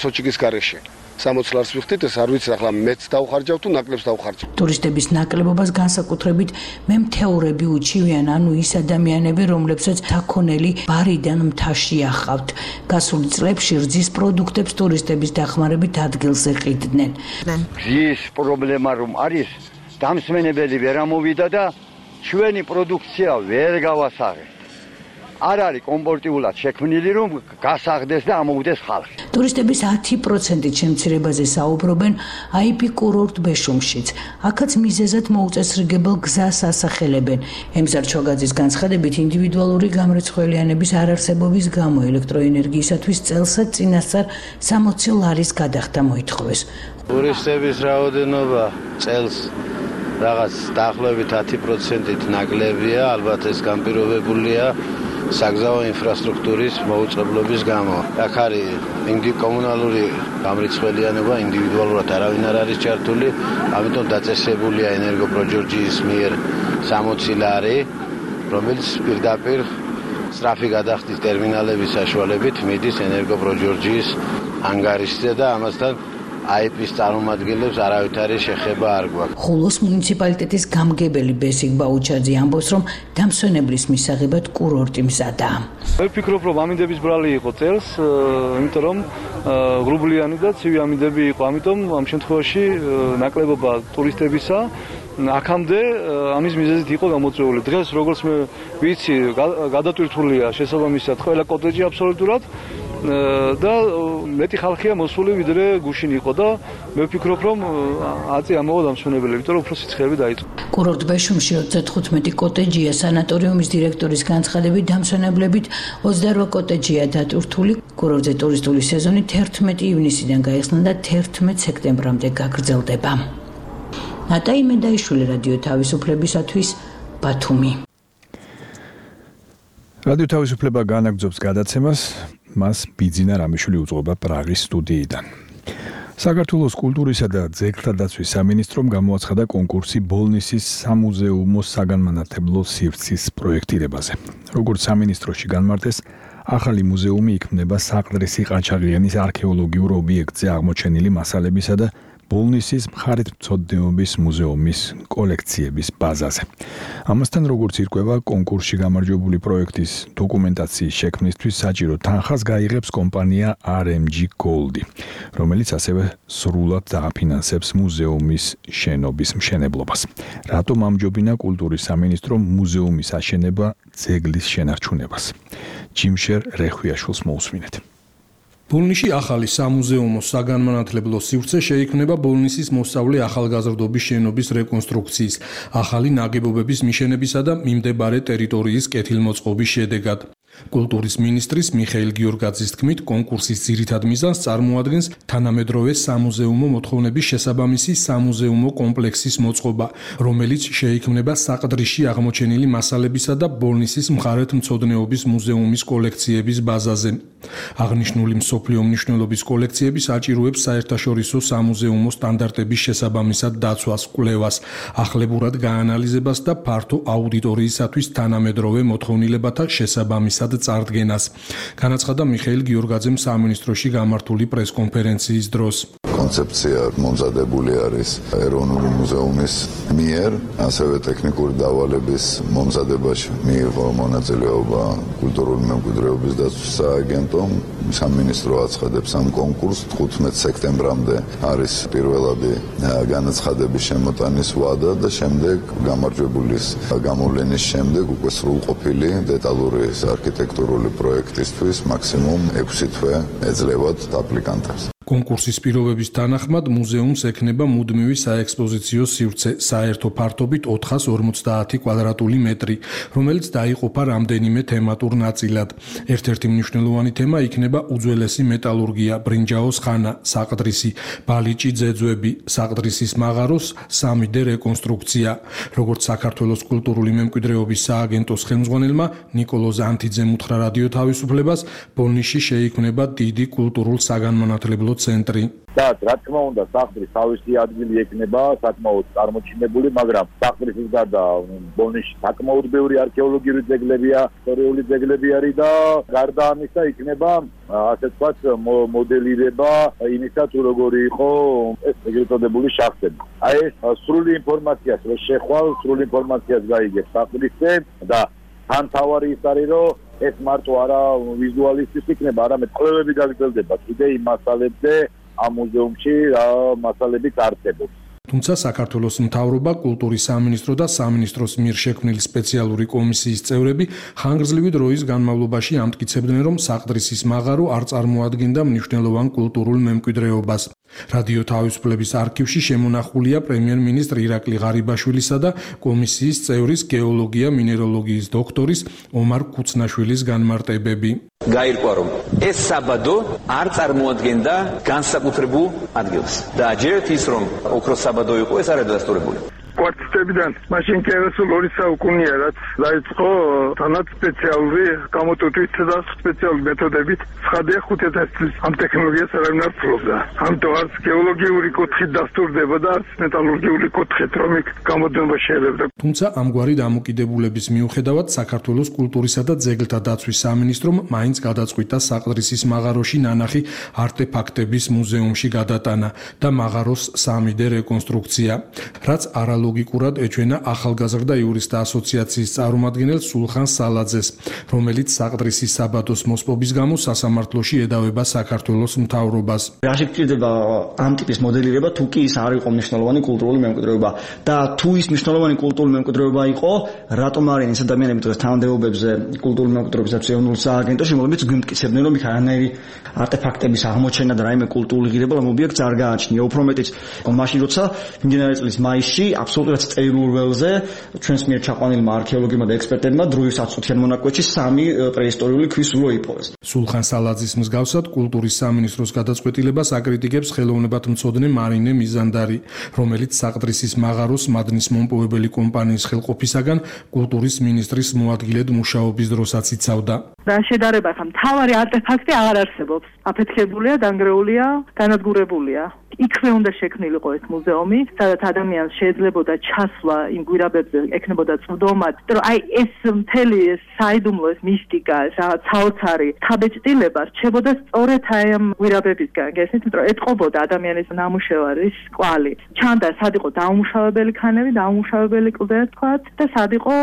სოჭიკის გარეშე. სამოცი ლარს ვიხდით, ეს არ ვიცი ახლა მეც დავხარჯავ თუ ნაკლებს დავხარჯავ. ტურისტების ნაკლებობას განსაკუთრებით მემთეურები უჩივიან, ანუ ის ადამიანები, რომლებსაც საქონელი ბარიდან მთაში ახავთ. გასულ წლებში რძის პროდუქტებს ტურისტების დახმარებით ადგილზე ყიდდნენ. გზის პრობლემა რომ არის, დამსვენებელი ვერ ამოვიდა და ჩვენი პროდუქცია ვერ გავასაღეთ. არ არის კომპორტიულად შექმნილი, რომ გასაღდეს და ამოვიდეს ხალხი. ტურისტების ათი პროცენტით შემცირებაზე საუბრობენ აი პი კურორტ ბეშუმშიც. აქაც მიზეზად მოუწესრიგებელ გზას ასახელებენ. ემზარ ჩოგაძის განცხადებით, ინდივიდუალური გამრეცხველიანების არარსებობის გამო ელექტროენერგიისათვის წელსაც წინასწარ სამოცი ლარის გადახდა მოითხოვეს. ტურისტების რაოდენობა წელს რაღაც დაახლოებით ათი პროცენტით ნაკლებია, ალბათ ეს განპირობებულია საგზაო ინფრასტრუქტურის მოუწყებლობის გამო. აქ არის ინდი კომუნალური გამრეცხველიანობა, ინდივიდუალურად არავინ არ არის ჩართული, ამიტომ დაწესებულია ენერგოპროჯორჯიის მიერ სამოცი ლარი, რომელიც პირდაპირ სწრაფი გადახდის ტერმინალების საშუალებით მიდის ენერგოპროჯორჯიის ანგარიშზე და ამასთან აი პის წარმომადგენლებს არავითარი შეხება არ გვაქვს. ხულოს მუნიციპალიტეტის გამგებელი ბესიკ ბაუჩაძე ამბობს, რომ დამსვენებლის მისაღებად კურორტი მზადაა. მე ვფიქრობ, რომ ამინდების ბრალი იყო წელს, იმიტომ რომ ღრუბლიანი და ცივი ამინდები იყო, ამიტომ ამ შემთხვევაში ნაკლებობა ტურისტებისა აქამდე ამის მიზეზით იყო გამოწვეული. დღეს როგორც მე ვიცი, გადატვირთულია შესაბამისად ყველა კოტეჯი აბსოლუტურად და მეტი ხალხია მოსული ვიდრე გუშინ იყო და მე ვფიქრობ, რომ აწი ამოვა დამსვენებელი, იმიტომ რომ უფრო სიცხეები დაიწყო. კურორტ ბეშუმში ოცდათხუთმეტი კოტეჯია, სანატორიუმის დირექტორის განცხადებით დამსვენებლებით ოცდაორ კოტეჯია დატვირთული. კურორტზე ტურისტული სეზონი თერთმეტი ივნისიდან გაიხსნა და თერთმეტ სექტემბრამდე გაგრძელდება. ნატაი მედაიშვილი, რადიო თავისუფლებისათვის, ბათუმი. რადიო თავისუფლება განაგრძობს გადაცემას, მას ბიძინა რამიშვილი უძღვება პრაღის სტუდიიდან. საქართველოს კულტურისა და ძეგლთა დაცვის სამინისტრომ გამოაცხადა კონკურსი ბოლნისის სამუზეუმო საგანმანათლებლო სივრცის პროექტირებაზე. როგორც სამინისტროში განმარტეს, ახალი მუზეუმი იქმნება საყდრისი ყაჩაღიანის არქეოლოგიურ ობიექტზე აღმოჩენილი მასალებისა და ბოლნისის მხარეთმცოდნეობის მუზეუმის კოლექციების ბაზაზე. ამასთან, როგორც ირკვევა, კონკურსში გამარჯვებული პროექტის დოკუმენტაციის შექმნისთვის საჭირო თანხას გაიღებს კომპანია არ ემ ჯი Gold, რომელიც ასევე სრულად დააფინანსებს მუზეუმის შენობის მშენებლობას. რატომ ამჯობინა კულტურის სამინისტრომ მუზეუმის აშენება ძეგლის შენარჩუნებას? ჯიმშერ რეხვიაშვილს მოусმინეთ. ბოლნისში ახალი სამუზეუმო საგანმანათლებლო სივრცე შეიქმნება ბოლნისის მოსწავლე ახალგაზრდობის შენობის რეკონსტრუქციის, ახალი ნაგებობების მიშენებისა და მიმდებარე ტერიტორიის კეთილმოწყობის შედეგად. კულტურის მინისტრის მიხეილ გიორგაძის თქმით, კონკურსის ძირითად მიზანს წარმოადგენს თანამედროვე სამუზეუმო მოთხოვნების შესაბამისი სამუზეუმო კომპლექსის მოწყობა, რომელიც შეიქმნება საყდრიში აღმოჩენილი მასალებისა და ბოლნისის მხარეთმცოდნეობის მუზეუმის კოლექციების ბაზაზე. აღნიშნული მსოფლიო მნიშვნელობის კოლექციები საჭიროებს საერთაშორისო სამუზეუმო სტანდარტების შესაბამისად დაცვას, კვლევას, ახლებურად გაანალიზებას და ფართო აუდიტორიისათვის თანამედროვე მოთხოვნილებათა შესაბამისად წარდგენას. განაცხადა მიხეილ გიორგაძემ სამინისტროში გამართული პრესკონფერენციის დროს. კონცეფცია მომზადებული არის ეროვნული მუზეუმის მიერ, ასევე ტექნიკური დავალების მომზადებაში მიიღო მონაწილეობა კულტურული მემკვიდრეობის დაცვის სააგენტომ. სამინისტრო აცხადებს ამ კონკურსს თხუთმეტ სექტემბრამდე არის პირველადი განაცხადების შემოტანის ვადა და შემდეგ გამარჯვებულის გამოვლენის შემდეგ უკვე სრულყოფილი დეტალური არქიტექტურული პროექტისთვის მაქსიმუმ ექვსი თვე ეძლევათ აპლიკანტებს. კონკურსის პირობების თანახმად მუზეუმს ექნება მუდმივი საექსპოზიციო სივრცე, საერთო ფართობით ოთხას ორმოცდაათი კვადრატული მეტრი, რომელიც დაიყოფა რამდენიმე თემატურ ნაწილად. ერთ-ერთი მნიშვნელოვანი თემა იქნება უძველესი მეტალურგია, ბრინჯაოს ხანა, საყდრისი, ბალიჭი ძეძვები, საყდრისის მაღაროს სამი დე რეკონსტრუქცია. როგორც საქართველოს კულტურული მემკვიდრეობის სააგენტოს ხელმძღვანელმა ნიკოლოზ ანთიძემ უთხრა რადიო თავისუფლებას, ბოლნისში შეიქმნება დიდი კულტურულ საგანმანათლებლო ცენტრი. და რა თქმა უნდა, საყდრის თავისი ადგილი ექნება საკმაოდ წარმოჩინებული, მაგრამ საყდრისის გარდა ბოლნისში საკმაოდ ბევრი არქეოლოგიური ძეგლებია, ისტორიული ძეგლები არის და გარდა ამისა იქნება ასე ვთქვათ მოდელირება იმისა თუ როგორი იყო ეს ეგრეთ წოდებული შახტები. აი ეს სრული ინფორმაციას რო შეხვალ, სრული ინფორმაციას გაიგებ საყდრისზე და თან თავარი ის არის რომ ეს მარტო არა ვიზუალისტის იქნება, არამედ კვლევები გაგრძელდება კიდე იმ მასალებზე ამ მუზეუმში რა მასალებით არსებობს. თუმცა საქართველოს მთავრობა, კულტურის სამინისტრო და სამინისტროს მიერ შექმნილი სპეციალური კომისიის წევრები ხანგრძლივი დროის განმავლობაში ამტკიცებდნენ, რომ საყდრისის მაღარო არ წარმოადგენდა მნიშვნელოვან კულტურულ მემკვიდრეობას. რადიო თავისუფლების არქივში შემონახულია პრემიერ-მინისტრ ირაკლი ღარიბაშვილისა და კომისიის წევრის გეოლოგია მინეროლოგიის დოქტორის ომარ ქუცნაშვილის განმარტებები. გაირკვა რომ ეს საბადო არ წარმოადგენდა განსაკუთრებულ ადგილს და ჯერთ ის რომ ოქროს საბადო იყო ეს არ არის დადასტურებული. კვარტებიდან მაშინ კი ასულ ორი საუკუნეა რაც დაიწყო თანაც სპეციალური გამოტვირთვით და სპეციალური მეთოდებით ცხადია ხუთი წლის ამ ტექნოლოგიას არავინ არ ფლობდა. ამიტომ არც გეოლოგიური კუთხით დასტურდება და არც მეტალურგიული კუთხით რომ იქ გამოდნობა შეიძლება. თუმცა ამგვარი დამოკიდებულების მიუხედავად საქართველოს კულტურისა და ძეგლთა დაცვის სამინისტრომ მაინც გადაწყვიტა საყდრისის მაღაროში ნანახი არტეფაქტების მუზეუმში გადატანა და მაღაროს სამი დე რეკონსტრუქცია, რაც არა ლოგიკურად ეჩვენა ახალგაზრდა იურისტთა ასოციაციის წარმომადგენელ სულხან სალაძეს, რომელიც საყდრისის საბადოს მოსპობის გამო სასამართლოში ედავება საქართველოს მთავრობას. რა შეგვიძლია ამ ტიპის მოდელირება თუ კი ის არ იყო მნიშვნელოვანი კულტურული მემკვიდრეობა და თუ ის მნიშვნელოვანი კულტურული მემკვიდრეობა იყო, რატომ არიან ეს ადამიანები დღეს თანამდებობებზე კულტურული მემკვიდრეობის ეროვნულ სააგენტოში, რომლებიც გვიმტკიცებდნენ, რომ იქ არანაირი არტეფაქტების აღმოჩენა და რაიმე კულტურული ღირებულება ობიექტს არ გააჩნია. უფრო მეტიც, მაშინ როცა მიმდინარე წლის მაისში აბსოლუტურად წერილურ ველზე ჩვენს მიერ ჩაყვანილმა არქეოლოგებმა და ექსპერტებმა დროის ათწუთიან მონაკვეთში სამი პრეისტორიული ქვის ულო იპოვეს. სულხან სალაძის მსგავსად კულტურის სამინისტროს გადაწყვეტილებას აკრიტიკებს ხელოვნებათმცოდნე მარინე მიზანდარი, რომელიც საყდრისის მაღაროს მადნის მომპოვებელი კომპანიის ხელყოფისაგან კულტურის მინისტრის მოადგილედ მუშაობის დროსაც იცავდა. და შედარებათა მთავარი არტეფაქტი აღარ არსებობს. აფეთქებულია, დანგრეულია, განადგურებულია. იქვე უნდა შექმნილიყო ეს მუზეუმი, სადაც ადამიანს შეეძლებოდა ჩასვლა იმ გვირაბებზე, ექნებოდა წვდომად, რომ აი ეს მთელი საიდუმლო ეს მისტიკა, ეს რაღაც საოცარი თავეჭდილება რჩებოდა სწორედ აი ამ გვირაბებისგან, გესმით, რომ ეტყობოდა ადამიანის ნამუშევარის კვალი. ჩანდა სად იყო დაუმუშავებელი ქანები, დაუმუშავებელი კლდე თქვათ და სად იყო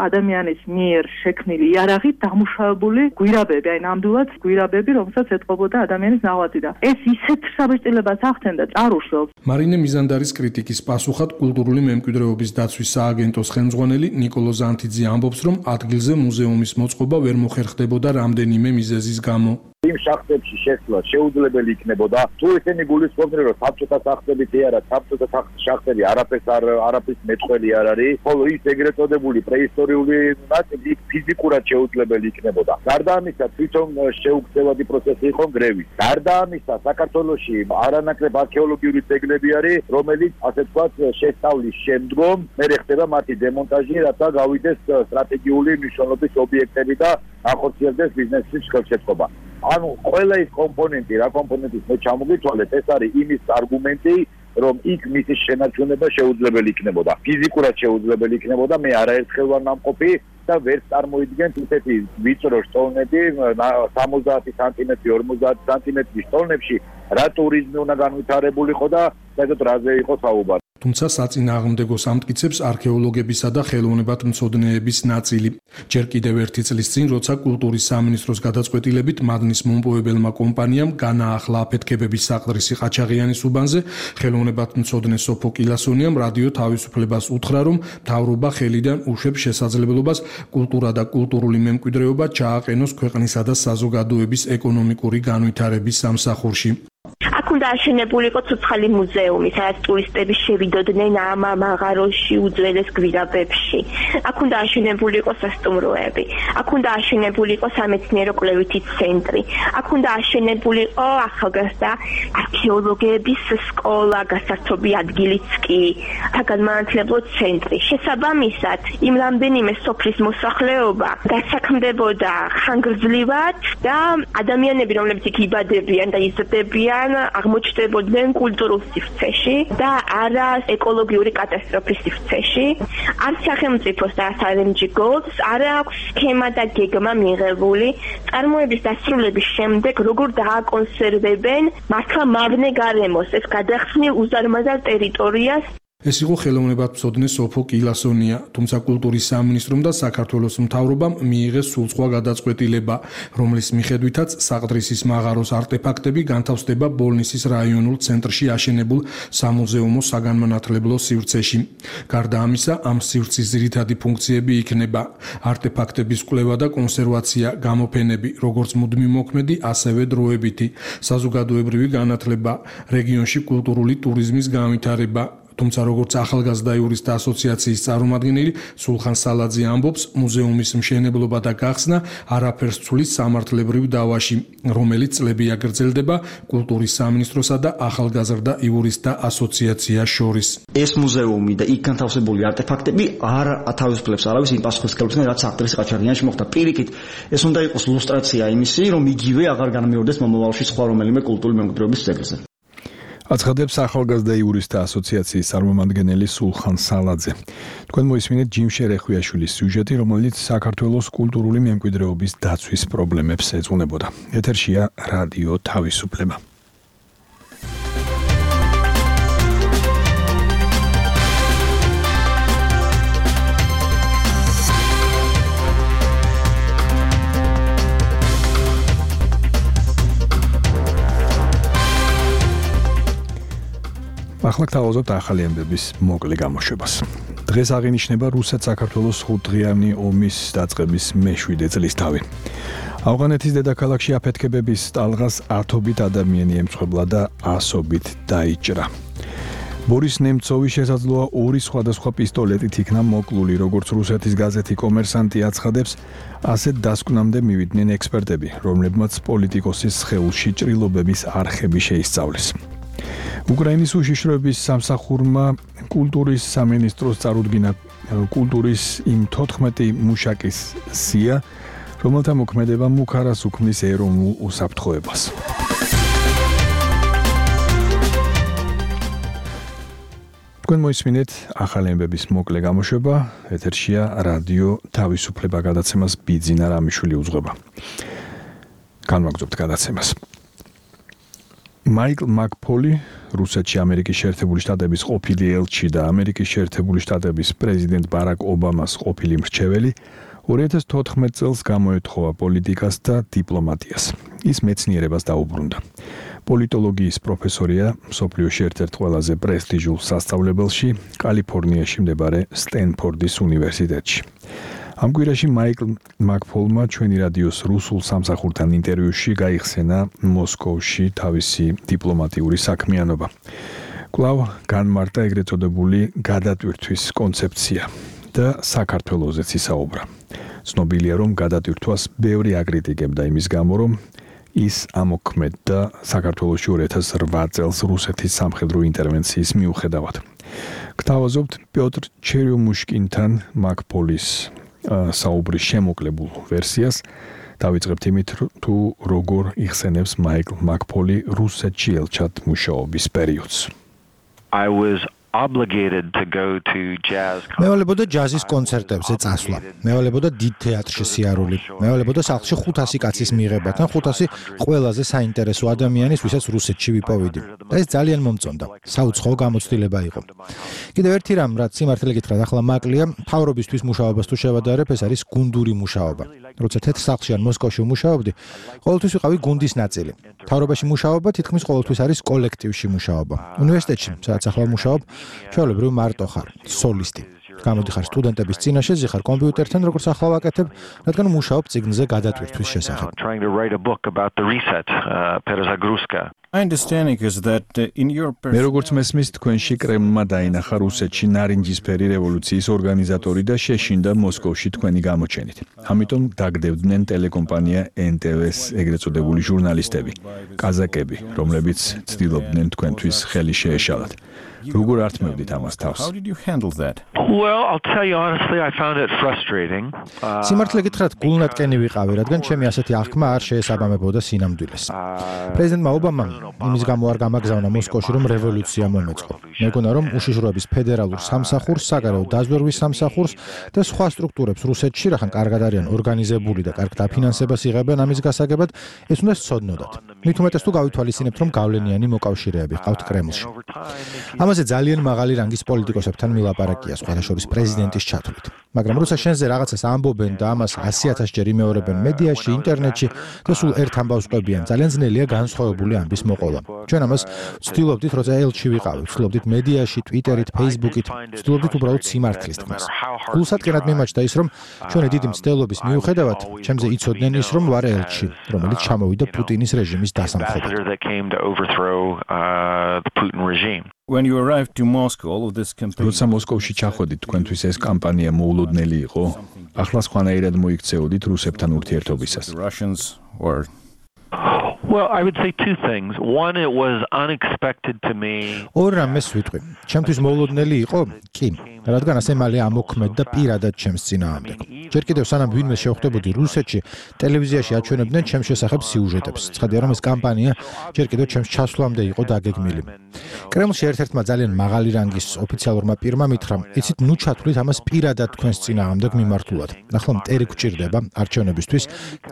ადამიანის მიერ შექმნილი იარაღით დამუშავებული გვირაბები, აი ნამდვილად გვირაბები, რომელსაც ეტყობოდა ადამიანის ნაღვაწი და ეს ისეთ საბეჭდილებას ახდენდა ჭარუშობს. მარინე მიზანდარის კრიტიკის პასუხად კულტურული მემკვიდრეობის დაცვის სააგენტოს ხელმძღვანელი ნიკოლო ზანთიძე ამბობს, რომ ადგილზე მუზეუმის მოწყობა ვერ მოხერხდებოდა რამდენიმე მიზეზის გამო. იმ შახტებში შესვლა შეუძლებელი იქნებოდა თუ ესენი გულისხმობდნენ რომ საბჭოთა სახსრებით არა საბჭოთა შახტები არაფერს არ არაფრის მეწყვლელი არ არის ხოლო ის ეგრეთ წოდებული პრეისტორიული ნაწილი ფიზიკურად შეუძლებელი იქნებოდა გარდა ამისა თვითონ შეუგზავადი პროცესი იყო გრევის გარდა ამისა საქართველოში არანაკლებ არქეოლოგიური ძეგლები არის რომელიც ასე ვთქვათ შესწავლის შემდგომ მერე ხდება მათი დემონტაჟი რათა გავიდეს სტრატეგიული მნიშვნელობის ობიექტები და ახორციელდეს ბიზნესის ხელშეწყობა ანუ ყველა ის კომპონენტი რა კომპონენტის მე ჩამოგითვალეთ ეს არის იმის არგუმენტი რომ იქ მისის შენარჩუნება შეუძლებელი იქნებოდა ფიზიკურად შეუძლებელი იქნებოდა მე არაერთხელ ვარ ნამყოფი და ვერ წარმოიდგენთ ისეთი ვიწრო სტოლნები სამოცდაათი სანტიმეტრი ორმოცდაათი სანტიმეტრის სტოლნებში რა ტურიზმი უნდა განვითარებულიყო და საერთოდ რაზე იყო საუბარი თუმცა საწინააღმდეგო სამტკიცებს არქეოლოგებისა და ხელოვნებათმცოდნეების ნაწილი. ჯერ კიდევ ერთი წლის წინ, როცა კულტურის სამინისტროს გადაწყვეტილებით მადნის მომპოვებელმა კომპანიამ განაახლა აფეთქებების საყდრისი ყაჩაღიანის უბანზე, ხელოვნებათმცოდნე სოფო კილასონიამ რადიო თავისუფლებას უთხრა, რომ მთავრობა ხელიდან უშვებს შესაძლებლობას კულტურა და კულტურული მემკვიდრეობა ჩააყენოს ქვეყნისა და საზოგადოების ეკონომიკური განვითარების სამსახურში. აქ უნდა აშენებულიყო ცოცხალი მუზეუმი, სადაც ტურისტები შევიდოდნენ ამ მაღაროში უძველეს გვირაბებში. აქ უნდა აშენებულიყო სასტუმროები, აქ უნდა აშენებულიყო სამეცნიერო კვლევითი ცენტრი, აქ უნდა აშენებულიყო ახალგაზრდა არქეოლოგების სკოლა, გასართობი ადგილიც კი, საგანმანათლებლო ცენტრი. შესაბამისად, იმ რამდენიმე სოფლის მოსახლეობა დასაქმდებოდა ხანგრძლივად და ადამიანები, რომლებიც იქ იბადებიან და იზრდებიან, აღმოჩნდებოდნენ კულტურულ სივრცეში და არა ეკოლოგიური კატასტროფის სივრცეში. არ სახელმწიფოს და არ ემ ჯი Golds არ აქვს სქემა და გეგმა მიღებული წარმოების დასრულების შემდეგ როგორ დააკონსერვებენ მართლა მავნე გარემოს ეს გადახსნილ უზარმაზარ ტერიტორიას. ეს იყო ხელოვნებათმცოდნე სოფო კილასონია, თუმცა კულტურის სამინისტრომ და საქართველოს მთავრობამ მიიღეს სულ სხვა გადაწყვეტილება, რომლის მიხედვითაც საყდრისის მაღაროს არტეფაქტები განთავსდება ბოლნისის რაიონულ ცენტრში აშენებულ სამუზეუმო საგანმანათლებლო სივრცეში. გარდა ამისა, ამ სივრცის ძირითადი ფუნქციები იქნება არტეფაქტების კვლევა და კონსერვაცია, გამოფენები, როგორც მუდმივ მოქმედი, ასევე დროებითი, საზოგადოებრივი განათლება, რეგიონში კულტურული ტურიზმის განვითარება. თუმცა როგორც ახალგაზრდა იურისტთა ასოციაციის წარმომადგენელი სულხან სალაძე ამბობს, მუზეუმის მშენებლობა და გახსნა არაფერს ცulis სამართლებრივ დავაში, რომელიც წლებია გრძელდება კულტურის სამინისტროსა და ახალგაზრდა იურისტთა ასოციაციას შორის. ეს მუზეუმი და იქ განთავსებული არტეფაქტები არ ათავისუფლებს არავის იმ პასუხისმგებლობისგან, რაც საყდრის ყაჩაღიანში მოხდა. პირიქით, ეს უნდა იყოს ილუსტრაცია იმისი, რომ იგივე აღარ განმეორდეს მომავალში სხვა რომელიმე კულტურული მემკვიდრეობის ძეგლზე. აცხადებს ახალგაზრდა იურისტთა ასოციაციის წარმომადგენელი სულხან სალაძე. თქვენ მოისმინეთ ჯიმ შერეხვიაშვილის სიუჟეტი, რომელიც საქართველოს კულტურული მემკვიდრეობის დაცვის პრობლემებს ეძღვნებოდა. ეთერშია რადიო თავისუფლება. ახლა გთავაზობთ ახალი ამბების მოკლე გამოშვებას. დღეს აღინიშნება რუსეთ-საქართველოს ხუთდღიანი ომის დაწყების მეშვიდე წლისთავი. ავღანეთის დედაქალაქში აფეთქებების ტალღას ათობით ადამიანი ემსხვერპლა და ასობით დაიჭრა. ბორის ნემცოვი შესაძლოა ორი სხვადასხვა პისტოლეტით იქნა მოკლული, როგორც რუსეთის გაზეთი კომერსანტი აცხადებს, ასეთ დასკვნამდე მივიდნენ ექსპერტები, რომლებმაც პოლიტიკოსის სხეულში ჭრილობების არხები შეისწავლეს. უკრაინის უშიშროების სამსახურმა კულტურის სამინისტროს წარუდგინა კულტურის იმ თოთხმეტი მუშაკის სია, რომელთა მოქმედებამ უქარას უქმნის ეროვნულ უსაფრთხოებას. თქვენ მოისმინეთ ახალი ამბების მოკლე გამოშვება, ეთერშია რადიო თავისუფლება გადაცემას ბიძინა რამიშვილი უძღვება. განვაგრძობთ გადაცემას. მაიკლ მაკფოლი, რუსეთში ამერიკის შეერთებული შტატების ყოფილი ელჩი და ამერიკის შეერთებული შტატების პრეზიდენტ ბარაკ ობამას ყოფილი მრჩეველი, ორი ათას თოთხმეტ წელს გამოეთხოვა პოლიტიკას და დიპლომატიას. ის მეცნიერებას დაუბრუნდა. პოლიტოლოგიის პროფესორია მსოფლიოში ერთ-ერთ ყველაზე პრესტიჟულ სასწავლებელში, კალიფორნიაში მდებარე სტენფორდის უნივერსიტეტში. ამ კვირაში მაიკლ მაკფოლმა ჩვენი რადიოს რუსულ სამსახურთან ინტერვიუში გაიხსენა მოსკოვში თავისი დიპლომატიური საქმიანობა. კვლავ განმარტა ეგრეთ წოდებული გადატვირთვის კონცეფცია და საქართველოზეც ისაუბრა. ცნობილია, რომ გადატვირთვას ბევრი აკრიტიკებდა იმის გამო, რომ ის ამოქმედდა საქართველოში ორი ათას რვა წელს რუსეთის სამხედრო ინტერვენციის მიუხედავად. გთავაზობთ პიოტრ ჩერიომუშკინთან მაკფოლის საუბრის შემოკლებულ ვერსიას. დავიწყებთ იმით, თუ როგორ იხსენებს მაიკლ მაკფოლი რუსეთში ელჩად მუშაობის პერიოდს. I was obligated to go to jazz. მევალებოდა ჯაზის კონცერტებზე წასვლა. მევალებოდა დიდ თეატრში სიარული. მევალებოდა სახლში ხუთასი კაცის მიღება, თან ხუთასი ყველაზე საინტერესო ადამიანის, ვისაც რუსეთში ვიპოვიდი. და ეს ძალიან მომწონდა. საუცხოო გამოცდილება იყო. კიდევ ერთი რამ, რაც სიმართლე გითხრათ, ახლა მაკლია, მთავრობისთვის მუშაობას თუ შევადარებ, ეს არის გუნდური მუშაობა. როცა თეთრ სახლში ან მოსკოვში ვმუშაობდი, ყოველთვის ვიყავი გუნდის ნაწილი. მთავრობაში მუშაობა თითქმის ყოველთვის არის კოლექტივში მუშაობა. უნივერსიტეტში, სადაც ახლა ვმუშაობ, ჩვეულებრივ მარტო ხარ, სოლისტი. გამოდიხარ სტუდენტების წინაშე, ზიხარ კომპიუტერთან, როგორც ახლა ვაკეთებ, რადგან მუშაობ წიგნზე გადატვირთვის შესახებ. მე როგორც მესმის, თქვენში კრემლმა დაინახა რუსეთში ნარინჯისფერი რევოლუციის ორგანიზატორი და შეშინდა მოსკოვში თქვენი გამოჩენით. ამიტომ დაგდებდნენ ტელეკომპანია ენ ტე ვეს ეგრეთ წოდებული ჟურნალისტები, კაზაკები, რომლებიც ცდილობდნენ თქვენთვის ხელი შეეშალათ. როგორ ართმევდით ამას თავს? Well, I'll tell you honestly, I found it frustrating. სიმართლე გითხრათ, გულნატკენი ვიყავი, რადგან ჩემი ასეთი აღქმა არ შეესაბამებოდა სინამდვილეს. პრეზიდენტმა ობამამ იმის გამო არ გამაგზავნა მოსკოვში, რომ რევოლუცია მომეწყო. მეგონა, რომ უშიშროების ფედერალურ სამსახურს, საგარეო დაზვერვის სამსახურს და სხვა სტრუქტურებს რუსეთში, რახან კარგად არიან ორგანიზებული და კარგ დაფინანსებას იღებენ ამის გასაგებად, ეს უნდა სცოდნოდათ. მით უმეტეს თუ გავითვალისწინებთ, რომ გავლენიანი მოკავშირეები ყავთ კრემლში. ამაზე ძალიან მაღალი რანგის პოლიტიკოსებთან მილაპარაკია, სხვადასხვა პრეზიდენტის ჩათვლით. მაგრამ რუსა შენზე რაღაცას ამბობენ და ამას ასი ათას ჯერ იმეორებენ მედიაში, ინტერნეტში და სულ ერთ ამბავს ყვებიან. ძალიან ძნელია განსხვავებული ამბის მოყოლა. ჩვენ ამას ვცდილობდით, როცა ელჩი ვიყავი, ვცდილობდით მედიაში, ტვიტერით, ფეისბუქით, ვცდილობდით უბრალოდ სიმართლის თქმას. გულსატკენად მიმაჩნდა ის, რომ ჩვენი დიდი მცდელობის მიუხედავად, ჩემზე იცოდნენ ის, რომ ვარ ელჩი, რომელიც ჩამოვიდა პუტინის რეჟიმის დასამხობად. When you arrived to Moscow, all of this campaign. როცა მოსკოვში ჩახვედით, თქვენთვის ეს კამპანია მოულოდნელი იყო. ახლა სხვანაირად მოიქცეოდით რუსებთან ურთიერთობისას. Well, I would say two things. One, it was unexpected to me. ორ რამეს ვიტყვი. ჩემთვის მოულოდნელი იყო? კი, რადგან ასე მალე ამოქმედდა პირადად ჩემს წინააღმდეგ. ჯერ კიდევ სანამ ვინმე შევხვდებოდი რუსეთში, ტელევიზიაში აჩვენებდნენ ჩემს შესახებ სიუჟეტებს. ცხადია, რომ ეს კამპანია ჯერ კიდევ ჩემს ჩასვლამდე იყო დაგეგმილი. კრემლში ერთ-ერთმა ძალიან მაღალი რანგის ოფიციალურმა პირმა მითხრა, იცით, ნუ ჩათვლით ამას პირადად თქვენს წინააღმდეგ მიმართულად. ახლა მტერი გვჭირდება არჩევნებისთვის.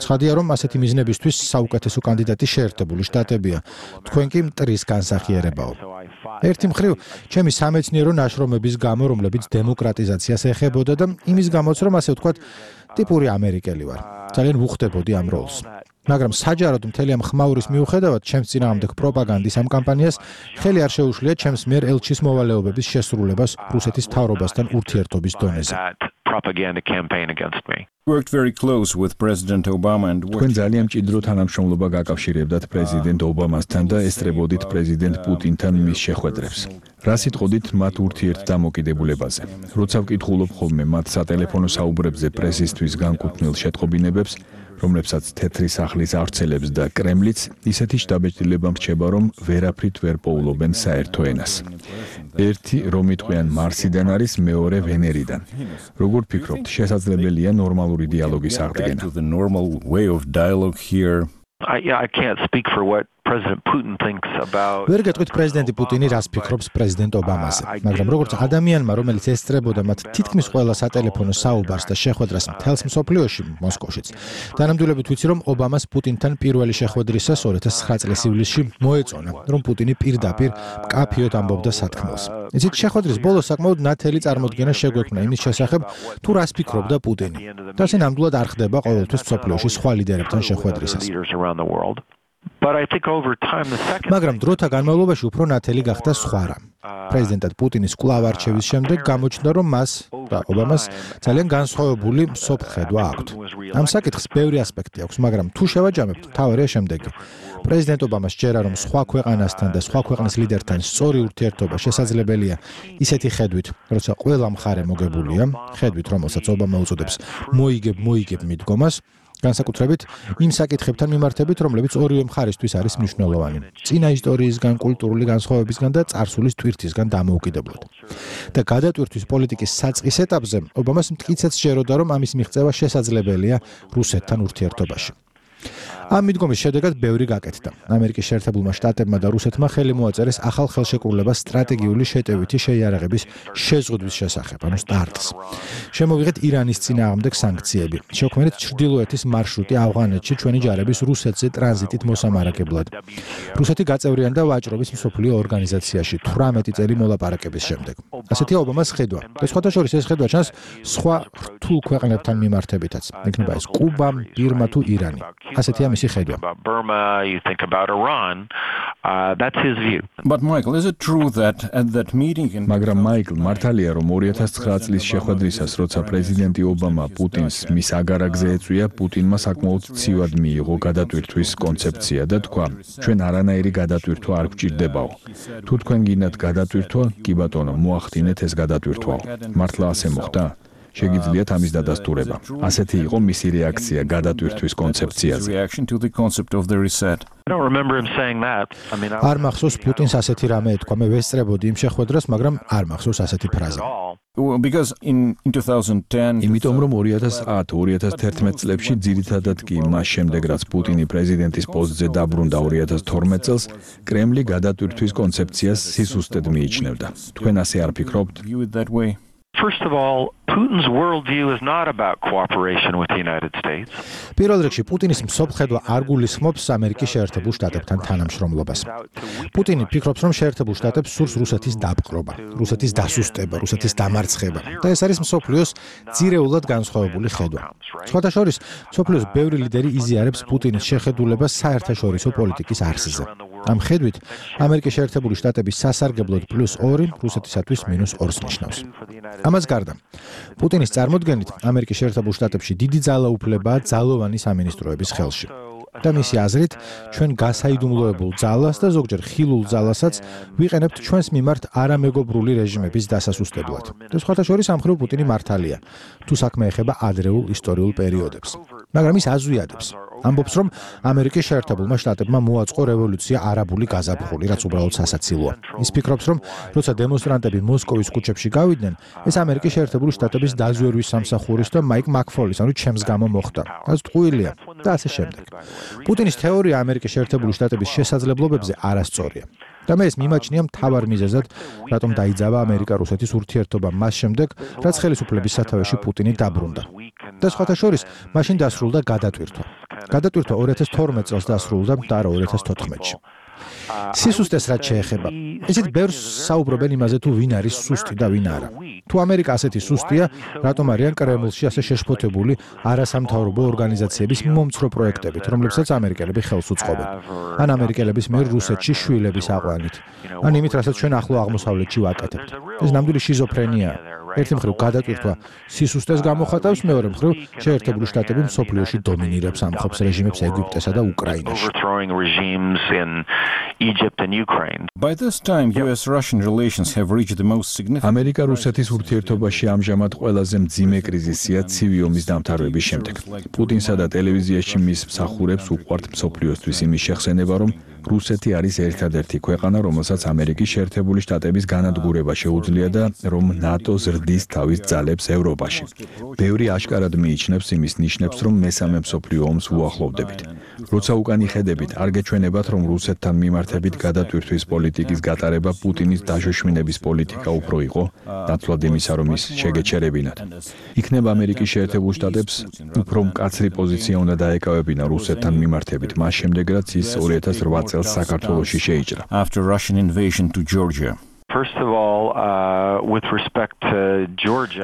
ცხადია, რომ ასეთი მიზნებისთვის საუკეთესო კანდიდატი შეერთებული შტატებია. თქვენ კი მტრის განსახიერებაო. ერთი მხრივ, ჩემი სამეცნიერო ნაშრომების გამო, რომლებიც დემოკრატიზაციას ეხებოდა და იმის გამოც, რომ ასე ვთქვათ, ტიპური ამერიკელი ვარ. ძალიან ვუხდებოდი ამ როლს. მაგრამ საჯაროდ მთელი ამ ხმაურის მიუხედავად, ჩემს წინააღმდეგ პროპაგანდის ამ კამპანიას ხელი არ შეუშლია ჩემს მიერ ელჩის მოვალეობების შესრულებას რუსეთის მთავრობასთან ურთიერთობის დონეზე. Propaganda campaign against me. Worked very close with President Obama and თქვენ ძალიან მჭიდრო თანამშრომლობა გაკავშირებდათ პრეზიდენტ ობამასთან და ესწრებოდით პრეზიდენტ პუტინთან მის შეხვედრებს. რა სიტყოდით მათ ურთიერთდამოკიდებულებაზე? როცა ვკითხულობ ხოლმე მათ სატელეფონო საუბრებზე პრესისთვის განკუთვნილ შეტყობინებებს, რომლებსაც თეთრი სახლის ავრცელებს და კრემლიც, ისეთი შთაბეჭდილება მრჩება, რომ ვერაფრით ვერ პოულობენ საერთო ენას. ერთი რომ იტყვიან მარსიდან არის, მეორე ვენერიდან. როგორ ფიქრობთ, შესაძლებელია ნორმალური დიალოგის აღდგენა? I, yeah, I can't speak for what President Putin thinks about. ვერ გეტყვით პრეზიდენტი პუტინი რას ფიქრობს პრეზიდენტ ობამაზე, მაგრამ როგორც ადამიანმა, რომელიც ესწრებოდა მათ თითქმის ყველა სატელეფონო საუბარს და შეხვედრას მთელს მსოფლიოში, მოსკოვშიც, დანამდვილებით ვიცი, რომ ობამას პუტინთან პირველი შეხვედრისას ორი ათას ცხრა წლის ივლისში მოეწონა, რომ პუტინი პირდაპირ მკაფიოდ ამბობდა სათქმელს. იცით, შეხვედრის ბოლოს საკმაოდ ნათელი წარმოდგენა შეგვექმნა იმის შესახებ, თუ რას ფიქრობდა პუტინი. და ასე ნამდვილად არ ხდება ყოველთვის მსოფლიოში სხვა ლიდერებთან შეხვედრისას. But I think over time the second მაგრამ დროთა განმავლობაში უფრო ნათელი გახდა სხვა რამ. პრეზიდენტად პუტინის კვლავ არჩევის შემდეგ გამოჩნდა, რომ მას და ობამას ძალიან განსხვავებული მსოფლხედვა აქვთ. ამ საკითხს ბევრი ასპექტი აქვს, მაგრამ თუ შევაჯამებთ, მთავარია შემდეგი. პრეზიდენტ ობამას ჯერა, რომ სხვა ქვეყანასთან და სხვა ქვეყნის ლიდერთან სწორი ურთიერთობა შესაძლებელია ისეთი ხედვით, როცა ყველა მხარე მოგებულია, ხედვით, რომელსაც ობამა უწოდებს მოიგებ მოიგებ მიდგომას, განსაკუთრებით იმ საკითხებთან მიმართებით, რომლებიც ორივე მხარისთვის არის მნიშვნელოვანი. წინა ისტორიისგან, კულტურული განსხვავებისგან და წარსულის ტვირთისგან დამოუკიდებლად. და გადატვირთვის პოლიტიკის საწყის ეტაპზე ობამას მტკიცედ სჯეროდა, რომ ამის მიღწევა შესაძლებელია რუსეთთან ურთიერთობაში. ამ მიდგომის შედეგად ბევრი გაკეთდა. ამერიკის შეერთებულმა შტატებმა და რუსეთმა ხელი მოაწერეს ახალ ხელშეკრულებას სტრატეგიული შეტევითი შეიარაღების შეზღუდვის შესახებ, ანუ სტარტს. შემოვიღეთ ირანის წინააღმდეგ სანქციები. შექმნით ჩრდილოეთის მარშრუტი ავღანეთში ჩვენი ჯარების რუსეთზე ტრანზიტით მოსამარაგებლად. რუსეთი გაწევრიანდა ვაჭრობის მსოფლიო ორგანიზაციაში თვრამეტი წელი მოლაპარაკების შემდეგ. ასეთია ობამას ხედვა. და სხვათა შორის ეს ხედვა ჩანს სხვა რთულ ქვეყნებთან მიმართებითაც. იქნება ეს კუბა, ბირმა თუ ირანი. ასეთია მისი ხედვა. Burma, you think about Iran, uh, that's his view. But Michael, is it true that at that meeting in მაგრამ მაიკლ მართალია, რომ ორი ათას ცხრა წლის შეხვედრისას, როცა პრეზიდენტი ობამა პუტინს მის აგარაკზე ეწვია, პუტინმა საკმაოდ ცივად მიიღო გადატვირთვის კონცეფცია და თქვა, ჩვენ არანაირი გადატვირთვა არ გვჭირდებაო. თუ თქვენ გინდათ გადატვირთვა, კი ბატონო, მოახდინეთ ეს გადატვირთვაო. მართლა ასე მოხდა? შეგიძლიათ ამის დადასტურება. ასეთი იყო მისი რეაქცია გადატვირთვის კონცეფციაზე. I don't remember him saying that. I mean, არ მახსოვს პუტინს ასეთი რამე ეთქვა. მე ვესწრებოდი იმ შეხვედრას, მაგრამ არ მახსოვს ასეთი ფრაზა. Because in in twenty ten იმიტომ რომ ორი ათას ათი ორი ათას თერთმეტ წლებში ძირითადად კი მას შემდეგ რაც პუტინი პრეზიდენტის პოსტზე დაბრუნდა ორი ათას თორმეტ წელს, კრემლი გადატვირთვის კონცეფციას სისუსტედ მიიჩნევდა. თქვენ ასე არ ფიქრობთ? First of all, Putin's worldview is not about cooperation with the United States. პირველ რიგში პუტინის მსოფლხედვა არ გულისხმობს ამერიკის შეერთებულ შტატებთან თანამშრომლობას. პუტინი ფიქრობს, რომ შეერთებულ შტატებს სურს რუსეთის დაპყრობა, რუსეთის დასუსტება, რუსეთის დამარცხება. და ეს არის მსოფლიოს ძირეულად განსხვავებული ხედვა. სხვათა შორის, მსოფლიოს ბევრი ლიდერი იზიარებს პუტინის შეხედულებას საერთაშორისო პოლიტიკის არსზე. ამ ხედვით, ამერიკის შეერთებული შტატების სასარგებლოდ პლუს ორი, რუსეთისათვის მინუს ორს ნიშნავს. ამას გარდა, პუტინის წარმოდგენით ამერიკის შეერთებულ შტატებში დიდი ძალაუფლებაა ძალოვანი სამინისტროების ხელში. და მისი აზრით, ჩვენ გასაიდუმლოებულ ძალას და ზოგჯერ ხილულ ძალასაც ვიყენებთ ჩვენს მიმართ არამეგობრული რეჟიმების დასასუსტებლად. და სხვათა შორის ამ მხრივ პუტინი მართალია, თუ საქმე ეხება ადრეულ ისტორიულ პერიოდებს. მაგრამ ის აზვიადებს. ამბობს, რომ ამერიკის შეერთებულმა შტატებმა მოაწყო რევოლუცია არაბული გაზაფხული, რაც უბრალოდ სასაცილოა. ის ფიქრობს, რომ როცა დემონსტრანტები მოსკოვის ქუჩებში გავიდნენ, ეს ამერიკის შეერთებული შტატების დაზვერვის სამსახურის და მაიკ მაკფოლის, ანუ ჩემს გამო მოხდა. რაც ტყუილია და ასე შემდეგ. პუტინის თეორია ამერიკის შეერთებული შტატების შესაძლებლობებზე არასწორია. და მე ეს მიმაჩნია მთავარ მიზეზად, რატომ დაიძაბა ამერიკა-რუსეთის ურთიერთობა მას შემდეგ, რაც ხელისუფლების სათავეში პუტინი დაბრუნდა. და სხვათა შორის, მაშინ დასრულდა გადატვირთვა. გადატვირთვა ორი ათას თორმეტ წელს დასრულდა და არა ორი ათას თოთხმეტში. სისუსტეს რაც შეეხება. ისიც ბევრს საუბრობენ იმაზე, თუ ვინ არის სუსტი და ვინ არა. თუ ამერიკა ასეთი სუსტია, რატომ არიან კრემლში ასე შეშფოთებული არასამთავრობო ორგანიზაციების მომცრო პროექტებით, რომლებსაც ამერიკელები ხელს უწყობენ. ან ამერიკელების მიერ რუსეთში შვილების აყვანით. ან იმით, რასაც ჩვენ ახლო აღმოსავლეთში ვაკეთებთ. ეს ნამდვილი შიზოფრენია. ერთი მხრივ გადატვირთვა სისუსტეს გამოხატავს, მეორე მხრივ შეერთებული შტატები მსოფლიოში დომინირებს ამხობს რეჟიმებს ეგვიპტესა და უკრაინაში. By this time U S Russian relations have reached the most significant. ამერიკა-რუსეთის ურთიერთობაში ამჟამად ყველაზე მძიმე კრიზისია ცივი ომის დამთავრების შემდეგ. პუტინსა და ტელევიზიაში მის მსახურებს უყვართ მსოფლიოსთვის იმის შეხსენება, რომ რუსეთი არის ერთადერთი ქვეყანა, რომელსაც ამერიკის შეერთებული შტატების განადგურება შეუძლია და რომ ნატო ზრდის თავის ძალებს ევროპაში. ბევრი აშკარად მიიჩნევს იმის ნიშნებს, რომ მესამე მსოფლიო ომს უახლოვდებით. როცა უკან იხედებით, არ გეჩვენებათ, რომ რუსეთთან მიმართებით გადატვირთვის პოლიტიკის გატარება პუტინის დაშოშმინების პოლიტიკა უფრო იყო, ნაცვლად იმისა, რომ ის შეგეჩერებინათ. იქნება ამერიკის შეერთებულ შტატებს უფრო მკაცრი პოზიცია უნდა დაეკავებინა რუსეთთან მიმართებით, მას შემდეგ, რაც ის ორი ათას ოთხ წელს საქართველოში შეიჭრა. After Russian invasion to Georgia. First of all, uh, with respect to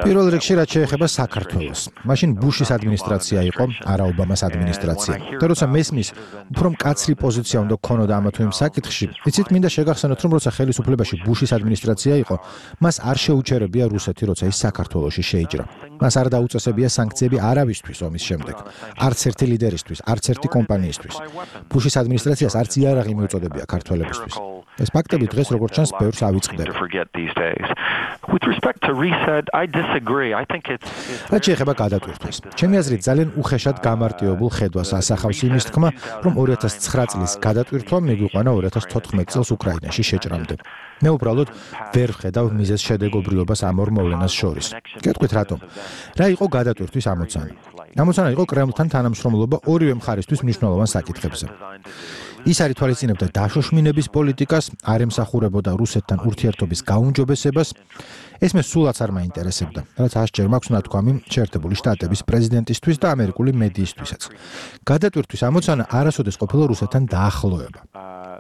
პირველ რიგში რაც შეეხება საქართველოს. მაშინ ბუშის ადმინისტრაცია იყო, არა ობამას ადმინისტრაცია. და როცა მესმის, უფრო მკაცრი პოზიცია უნდა გქონოდა ამა თუ იმ საკითხში, იცით, მინდა შეგახსენოთ, რომ როცა ხელისუფლებაში ბუშის ადმინისტრაცია იყო, მას არ შეუჩერებია რუსეთი, როცა ის საქართველოში შეიჭრა. მას არ დაუწესებია სანქციები არავისთვის ომის შემდეგ. არც ერთი ლიდერისთვის, არც ერთი კომპანიისთვის. ბუშის ადმინისტრაციას არც იარაღი მიუწოდებია ქართველებისთვის. ეს ფაქტები დღეს როგორც ჩანს ბევრს ავიწყდება. With respect to reset, I disagree. I think it's რაც შეეხება გადატვირთვას. ჩემი აზრით ძალიან უხეშად გამარტივებულ ხედვას ასახავს იმის თქმა, რომ ორი ათას ცხრა წლის გადატვირთვა მიგვიყვანა ორი ათას თოთხმეტ წელს უკრაინაში შეჭრამდე. მე უბრალოდ ვერ ვხედავ მიზეზ შედეგობრიობას ამ ორ მოვლენას შორის. გეტყვით რატომ? რა იყო გადატვირთვის ამოცანა? ამოცანა იყო კრემლთან თანამშრომლობა ორივე მხარისთვის მნიშვნელოვან საკითხებზე. ის არ ითვალისწინებდა დაშოშმინების პოლიტიკას, არ ემსახურებოდა რუსეთთან ურთიერთობის გაუმჯობესებას. ეს მე სულაც არ მაინტერესებდა, რაც ასჯერ მაქვს ნათქვამი შეერთებული შტატების პრეზიდენტისთვის და ამერიკული მედიისთვისაც. გადატვირთვის ამოცანა არასოდეს ყოფილა რუსეთთან დაახლოება.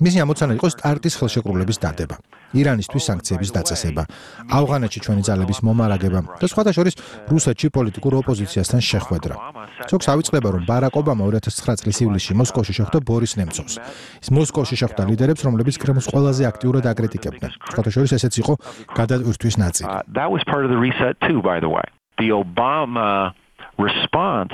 მისი ამოცანა იყო სტარტის ხელშეკრულების დადება, ირანისთვის სანქციების დაწესება, ავღანეთში ჩვენი ძალების მომარაგება და სხვათა შორის რუსეთში პოლიტიკურ ოპოზიციასთან შეხვედრა. ზოგს ავიწყდება, რომ ბარაკ ობამა ორი ათას ცხრა წლის ივლისში მოსკოვში შეხვდა ბორის ნემცოვს. ის მოსკოვში შეხვდა ლიდერებს, რომლებიც კრემლს ყველაზე აქტიურად აკრიტიკებდნენ. სხვათა შორის ესეც იყო გადატვირთვის ნაწილი. Uh, that was part of the reset too, by the way. The Obama response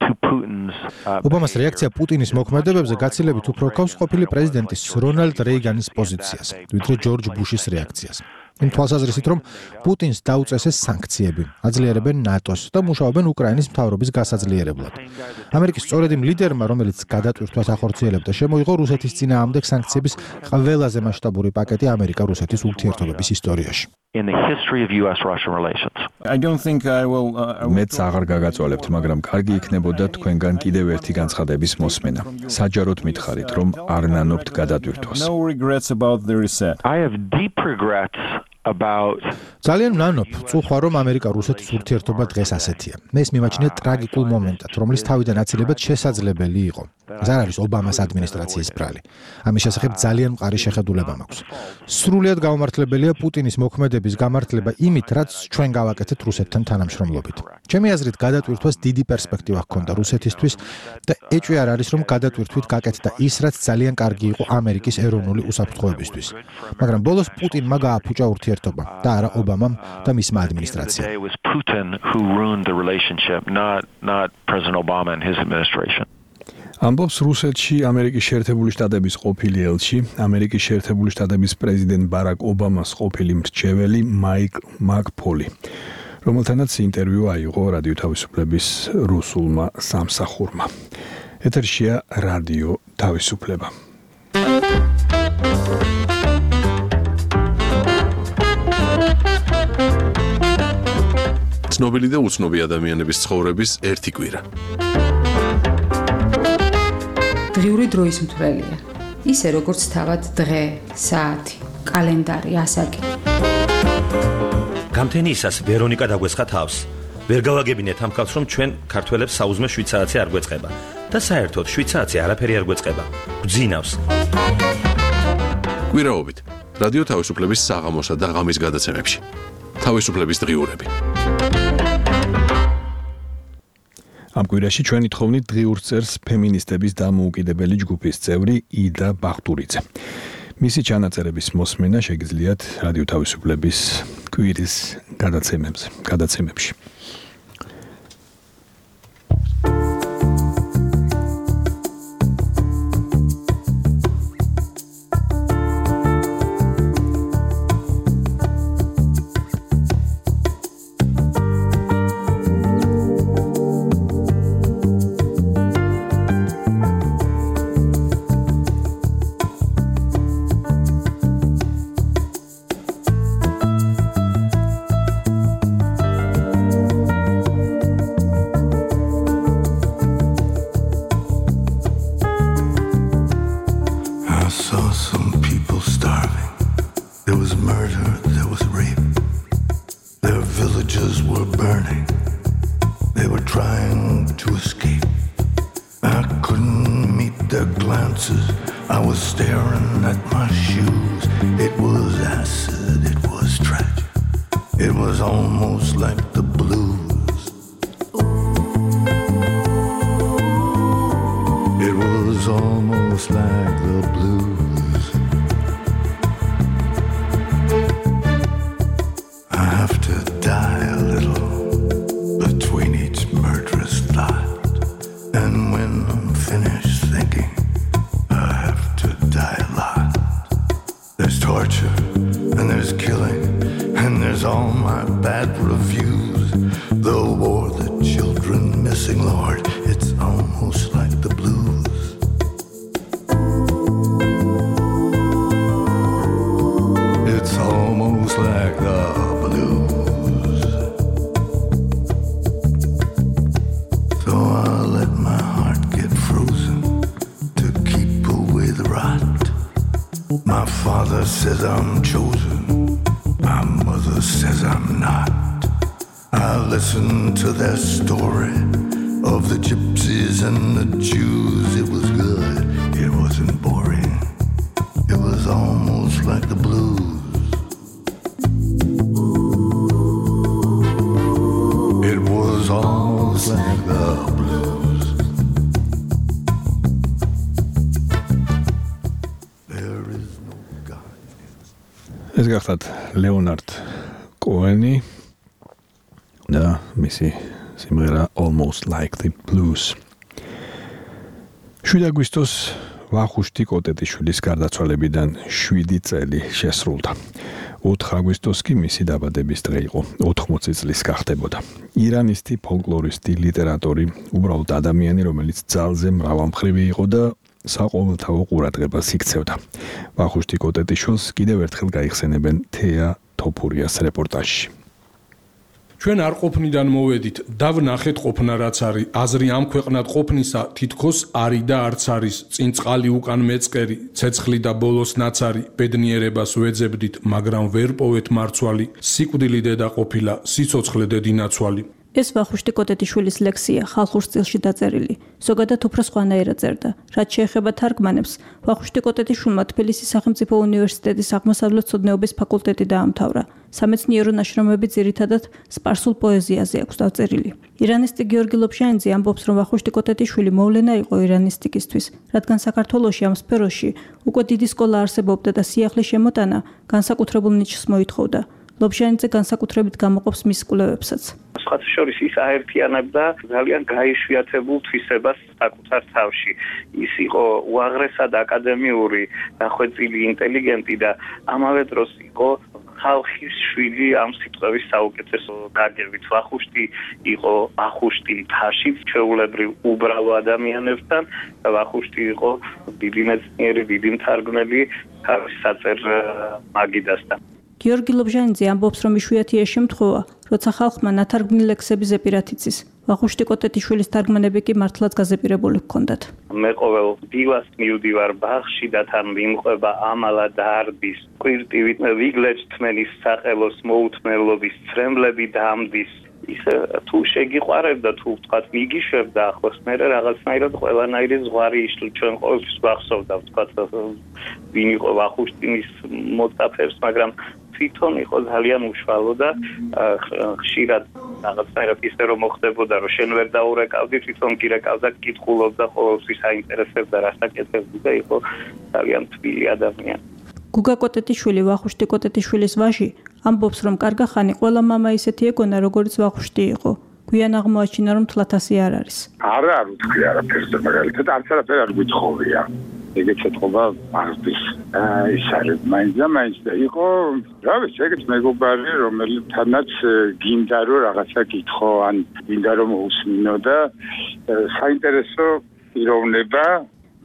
to Putin's ობამას რეაქცია პუტინის მოქმედებებზე გაცილებით უფრო ქავს ყოფილი პრეზიდენტის რონალდ რეიგანის პოზიციას, ვიდრე ჯორჯ ბუშის რეაქციას. იმ თვალსაზრისით, რომ პუტინს დაუწესეს სანქციები, აძლიერებენ ნატოს და მუშაობენ უკრაინის მთავრობის გასაძლიერებლად. ამერიკის სწორედ იმ ლიდერმა, რომელიც გადატვირთვას ახორციელებდა, შემოიღო რუსეთის წინააღმდეგ სანქციების ყველაზე მასშტაბური პაკეტი ამერიკა-რუსეთის ურთიერთობების ისტორიაში. In the history of U S Russian relations. I don't think I will uh, მეც აღარ გაგაწოლებთ, მაგრამ კარგი იქნებოდა თქვენგან კიდევ ერთი განცხადების მოსმენა. საჯაროდ მითხარით, რომ არ ნანობთ გადატვირთვას. No regrets about the reset. I have deep regrets about ძალიან ნანობ, წუხვა რომ ამერიკა-რუსეთის ურთიერთობა დღეს ასეთია. მე ეს მიმაჩნია ტრაგიკულ მომენტად, რომლის თავიდან აცილება შესაძლებელი იყო. ეს არ არის ობამას ადმინისტრაციის ბრალი. ამის შესახებ ძალიან მყარი შეხედულება მაქვს. სრულიად გაუმართლებელია პუტინის მოქმედების გამართლება იმით, რაც ჩვენ გავაკეთეთ რუსეთთან თანამშრომლობით. ჩემი აზრით, გადატვირთვას დიდი პერსპექტივა ჰქონდა რუსეთისთვის და ეჭვი არ არის, რომ გადატვირთვით გაკეთდა ის, რაც ძალიან კარგი იყო ამერიკის ეროვნული უსაფრთხოებისთვის. მაგრამ ბოლოს პუტინმა გააფუჭა ურთიერთობა და არა ობამამ და მისმა ადმინისტრაციამ. It was Putin who ruined the relationship, not not President Obama and his administration. ამბობს რუსეთში ამერიკის შეერთებული შტატების ყოფილი ელჩი, ამერიკის შეერთებული შტატების პრეზიდენტ ბარაკ ობამას ყოფილი მრჩეველი მაიკ მაკფოლი, რომელთანაც ინტერვიუ აიღო რადიო თავისუფლების რუსულმა სამსახურმა. ეთერშია რადიო თავისუფლება. ცნობილი და უცნობი ადამიანების ცხოვრების ერთი კვირა. დღიური დროის მთვრელია. ისე როგორც თავად დღე, საათი, კალენდარი, ასაკი. გამთენიისას ვერონიკა დაგვესხა თავს. ვერ გავაგებინეთ ამ ხალხს, რომ ჩვენ ქართველებს საუზმე შვიცარიცი არ გვეწყება და საერთოდ შვიცარიცი არაფერი არ გვეწყება. გძინავს. კვირაობით რადიო თავისუფლების საღამოსა და ღამის გადაცემებში. თავისუფლების დღიურები. ამ კვირაში ჩვენი თხოვნით დღიურ წერს ფემინისტების დამოუკიდებელი ჯგუფის წევრი იდა ბახტურიძე. მისი ჩანაწერების მოსმენა შეგიძლიათ რადიო თავისუფლების კვირის გადაცემებზე, გადაცემებში. It was almost like the blues. It was almost like the blues. I have to die a little between each murderous thought. And when I'm finished thinking, I have to die a lot. There's torture and there's killing and there's all my bad reviews. The war, the children missing, Lord, it's almost like the blues. It's almost like the blues. So I'll let my heart get frozen to keep away the rot. My father says I'm chosen, my mother says I'm not. I listen to their story of the gypsies and the Jews. It was good, it wasn't boring. It was almost like the blues. It was almost like the blues. There is no God. ეს გახდათ ლეონარდ კოენი და მისი სიმღერა Almost Like the Blues. შვიდი აგვისტოს ვახუშტი კოტეტიშვილის გარდაცვალებიდან შვიდი წელი შესრულდა. ოთხი აგვისტოს კი მისი დაბადების დღე იყო. ოთხმოცი წლის გახდებოდა. ირანისტი, ფოლკლორისტი, ლიტერატორი, უბრალოდ ადამიანი, რომელიც ძალზე მრავალმხრივი იყო და საყოველთაო ყურადღებას იქცევდა. ვახუშტი კოტეტიშვილს კიდევ ერთხელ გაიხსენებენ თეა თოფურიას რეპორტაჟში. ჩვენ არ ყოფნიდან მოვედით და ვნახეთ ყოფნა რაც არის. აზრი ამ ქვეყნად ყოფნისა თითქოს არის და არც არის. წინ წყალი უკან მეწყერი, ცეცხლი და ბოლოს ნაცარი. ბედნიერებას ვეძებდით, მაგრამ ვერ პოვეთ მარცვალი. სიკვდილი დედა ყოფილა, სიცოცხლე დედინაცვალი. ეს ვახუშტი კოტეტიშვილის ლექსია, ხალხურ სტილში დაწერილი. ზოგადად უფრო სხვანაირად წერდა. რაც შეეხება თარგმანებს, ვახუშტი კოტეტიშვილმა თბილისის სახელმწიფო უნივერსიტეტის აღმოსავლეთმცოდნეობის ფაკულტეტი დაამთავრა. სამეცნიერო ნაშრომები ძირითადად სპარსულ პოეზიაზე აქვს დაწერილი. ირანისტი გიორგი ლობჟანიძე ამბობს, რომ ვახუშტი კოტეტიშვილი მოვლენა იყო ირანისტიკისთვის, რადგან საქართველოში ამ სფეროში უკვე დიდი სკოლა არსებობდა და სიახლის შემოტანა განსაკუთრებულ ნიჩს მოითხოვდა. ლობჟანიძე განსაკუთრებით გამოყოფს მის კვლევებსაც. სხვათა შორის ის აერთიანებდა ძალიან გაიშვიათებულ თვისებას საკუთარ თავში. ის იყო უაღრესად აკადემიური, დახვეწილი ინტელიგენტი და ამავე დროს იყო ხალხის შვილი ამ სიტყვების საუკეთესო გაგებით. ვახუშტი იყო ახუშტი თაშით, ჩვეულებრივ უბრალო ადამიანებთან და ვახუშტი იყო დიდი მეცნიერი, დიდი მთარგმნელი თავის საწერ მაგიდასთან. გიორგი ლობჟანიძე ამბობს, რომ იშვიათია შემთხვევა, როცა ხალხმა ნათარგმნი ლექსები ზეპირად იცის. ვახუშტი კოტეტიშვილის თარგმანები კი მართლაც გაზეპირებული ჰქონდათ. მე ყოველ დილას მივდივარ ბაღში და თან მიმყვება ამალა დარდის, კვირტივით ვიგლეჭთმენის საყელოს მოუთმელობის ცრემლები დამდის. ის თუ შეგიყვარებდა, თუ ვთქვათ მიგიშვებდა ახლოს, მე რაღაცნაირად ყველანაირი ზღვარი იშლი ჩვენ ყოველთვის ვახსოვდა, ვთქვათ ვინ იყო ვახუშტინის მოწაფეებს, მაგრამ თვითონ იყო ძალიან უშუალო და ხშირად რაღაცნაირად ისე რომ მოხდებოდა, რომ შენ ვერ დაურეკავდი, თვითონ კი რეკავდა, კითხულობდა, ყოველთვის აინტერესებდა რასაკეთებდი და იყო ძალიან თბილი ადამიანი. გუგა კოტეტიშვილი, ვახუშტი კოტეტიშვილის ვაჟი, ამბობს, რომ კარგა ხანი ყველა მამა ისეთი ეგონა, როგორც ვახუშტი იყო. გვიან აღმოაჩინა, რომ თლათასი არ არის. არა, არ ვთქვი არაფერს, მაგალითად, არც არაფერი არ გვითხოვია. ეგეც ეთქობა მართვის. ის არის მაინც და მაინც და იყო, რა ვიცი, ეგეც მეგობარი, რომელთანაც გინდა რომ რაღაცა გითხო, ან გინდა რომ უსმინო და საინტერესო პიროვნება.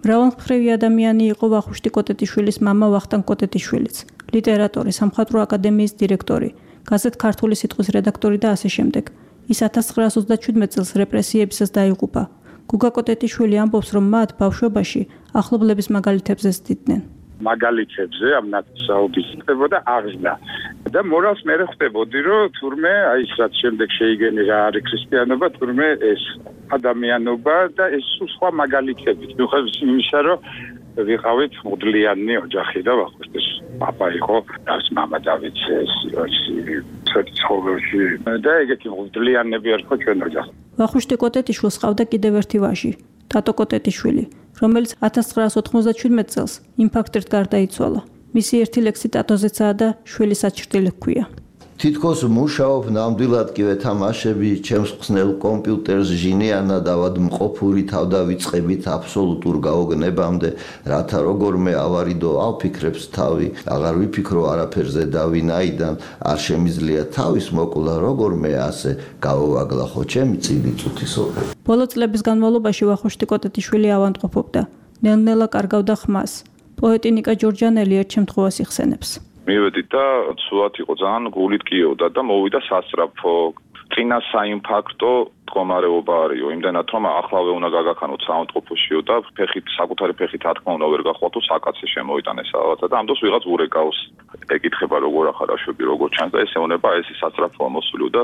მრავალმხრივი ადამიანი იყო ვახუშტი კოტეტიშვილის მამა ვახტანგ კოტეტიშვილიც, ლიტერატორი, სამხატვრო აკადემიის დირექტორი, გაზეთ ქართული სიტყვის რედაქტორი და ასე შემდეგ. ის ათას ცხრაას ოცდაჩვიდმეტ წელს რეპრესიებისას დაიღუპა. გუგა კოტეტიშვილი ამბობს, რომ მათ ბავშვობაში ახლობლების მაგალითებზე ზრდიდნენ. მაგალითებზე ამ ნაცნობის ხდებოდა აღზრდა და მორალს მე ხვდებოდი, რომ თურმე აი ის რაც შემდეგ შეიგენი რა არის ქრისტიანობა, თურმე ეს ადამიანობა და ეს სხვა მაგალითები. მიუხედავად იმისა, რომ ვიყავით მუდლიანი ოჯახი და ვახუშტის პაპა იყო, და მამა დავით ცხოველში და ეგეთი მღვდლიანები არ ხო ჩვენ ოჯახს. ვახუშტი კოტეტიშვილს ყავდა კიდევ ერთი ვაჟი, ტატო კოტეტიშვილი, რომელიც ათას ცხრაას ოთხმოცდაჩვიდმეტ წელს ინფარქტით გარდაიცვალა. მისი ერთი ლექსი ტატოზეცაა და შვილის აჩრდილი ჰქვია. თითქოს მუშაობ ნამდვილად კი ვეთამაშები ჩემს ხსნელ კომპიუტერს ჟინიანა დავადმყოფური თავდავიწყებით აბსოლუტურ გაოგნებამდე, რათა როგორმე ავარიდო ავფიქრებს თავი, აღარ ვიფიქრო არაფერზე და ვინაიდან არ შემიძლია თავის მოკლა როგორმე ასე გავოვაგლა ხო ჩემი წილი წუთი სოფელი. ბოლო წლების განმავლობაში ვახუშტი კოტეტიშვილი ავადმყოფობდა. ნელ-ნელა კარგავდა ხმას. პოეტი ნიკა ჯორჯანელი ერთ შემთხვევას იხსენებს. მივედი და სულად იყო ძალიან გულით კიოდა და მოვიდა სასწრაფო. წინა საინფარქტო მდგომარეობა არისო, იმდენად რომ ახლავე უნდა გაგაქანოთ საავადმყოფოშიო და ფეხით საკუთარი ფეხით არ თქმა უნდა ვერ გახვალთო საკაცე შემოიტანეს რაღაცა და ამ დროს ვიღაც ურეკავს. ეკითხება როგორ ახარაშვები, როგორ ჩანს და ესე უნება ეს სასწრაფოა მოსული და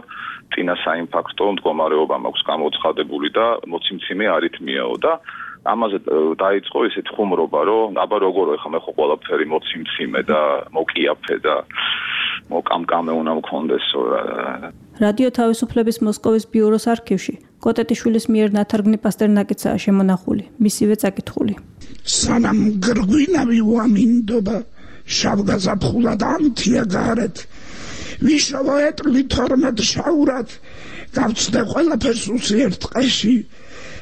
წინა საინფარქტო მდგომარეობა მაქვს გამოცხადებული და მოციმციმე არითმიაო და ამაზე დაიწყო ესეთ ხუმრობა, რომ აბა როგორ ეხა მე ხო ყველაფერი მოციმციმე და მოკიაფე და მოკამკამე უნდა მქონდესო. რადიო თავისუფლების მოსკოვის ბიუროს არქივში კოტეტიშვილის მიერ ნათარგმნი პასტერნაკიცაა შემონახული, მისივე წაკითხული. სანამ გრგვინავი უამინდობა შავგაზაფხულად ამთია გარეთ ვიშავა ეტლი თორმეტ შაურად გავცდე ყველაფერს უსიერთ ტყეში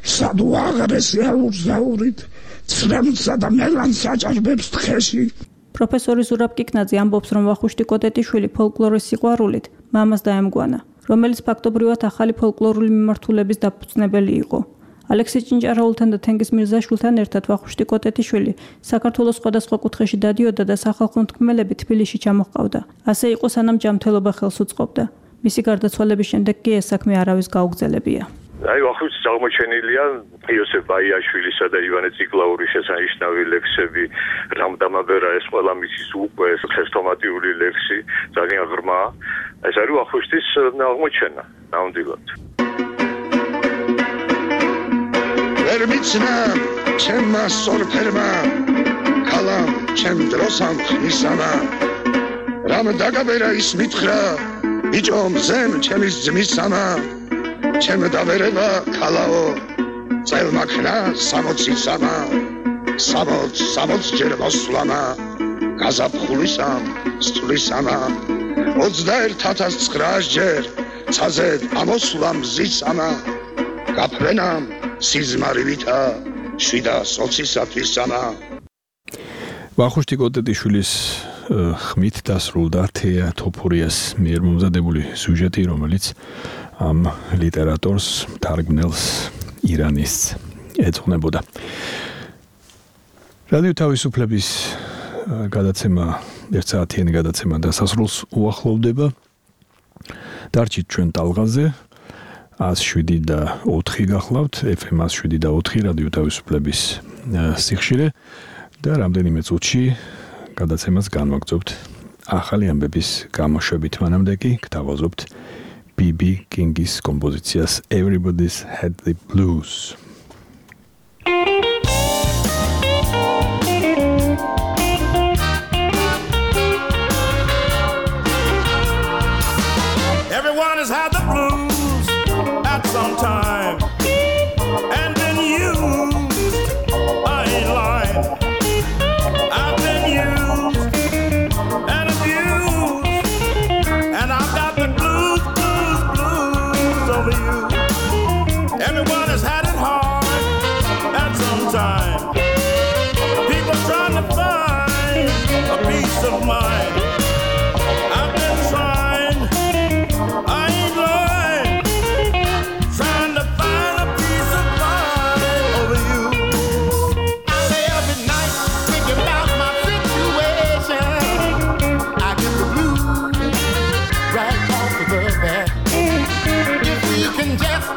სადუ აღრესი აურზაურით ცრემლსა და მელანს აჭარბებს თხეში. პროფესორი ზურაბ კიკნაძე ამბობს, რომ ვახუშტი კოტეტიშვილი ფოლკლორის სიყვარულით მამას დაემგვანა, რომელიც ფაქტობრივად ახალი ფოლკლორული მიმართულების დაფუძნებელი იყო. ალექსი ჭინჭარაულთან და თენგიზ მირზაშვილთან ერთად ვახუშტი კოტეტიშვილი საქართველოს სხვადასხვა კუთხეში დადიოდა და სახალხო მთქმელები თბილისში ჩამოჰყავდა. ასე იყო სანამ ჯანმრთელობა ხელს უწყობდა. მისი გარდაცვალების შემდეგ კი ეს საქმე არავის გაუგზელებია. აი ვახუშტის აღმოჩენილია იოსებ ბაიაშვილისა და ივანე ციკლაურის შესანიშნავი ლექსები, რამდამაბერა ეს ყველა მისის უკვე ხესტომატიური ლექსი, ძალიან ღრმა. ეს არის ვახუშტის აღმოჩენა, ნამდვილად. ვერ მიცნა ჩემმა სორფერმა კალამ ჩემ დროსამ ხმისამა რამ დაგაბერა ის მითხრა ბიჭო მზემ ჩემის ძმისამა ჩემ დაბერება კალაო წელმაქნა სამოცისამა სამოც სამოც ჯერ მოსვლამა გაზაფხულისამ სწვლისამა ოცდაერთ ათას ცხრაას ჯერ ცაზე ამოსვლამ ზისამა გაფრენამ სიზმარივითა შვიდას ოცისათვისამა. ვახუშტი კოტეტიშვილის ხმით დასრულდა თეა თოფურიას მიერ მომზადებული სიუჟეტი, რომელიც ამ ლიტერატორს თარგმნელს ირანის ეძღვნებოდა. რადიო თავისუფლების გადაცემა ერთ საათიანი გადაცემა დასასრულს უახლოვდება. დარჩით ჩვენ ტალღაზე ათს შვიდი და ოთხი გახლავთ, ეფ ემ ათს შვიდი და ოთხი რადიო თავისუფლების სიხშირე და რამდენიმე წუთში გადაცემას განვაგრძობთ ახალი ამბების გამოშვებით. მანამდე კი გთავაზობთ ბი ბი კინგის კომპოზიციას Everybody's Had the Blues. Everyone has had the blues at some time, and been used, I ain't lying. I've been used and abused, and I've got the blues, blues, blues over you. Everyone has had it hard at some time. People trying to find a peace of mind. I've been trying, I ain't lying, trying to find a peace of mind over you. I lay up at night thinking about my situation. I get the blues right off of the bat. If we can just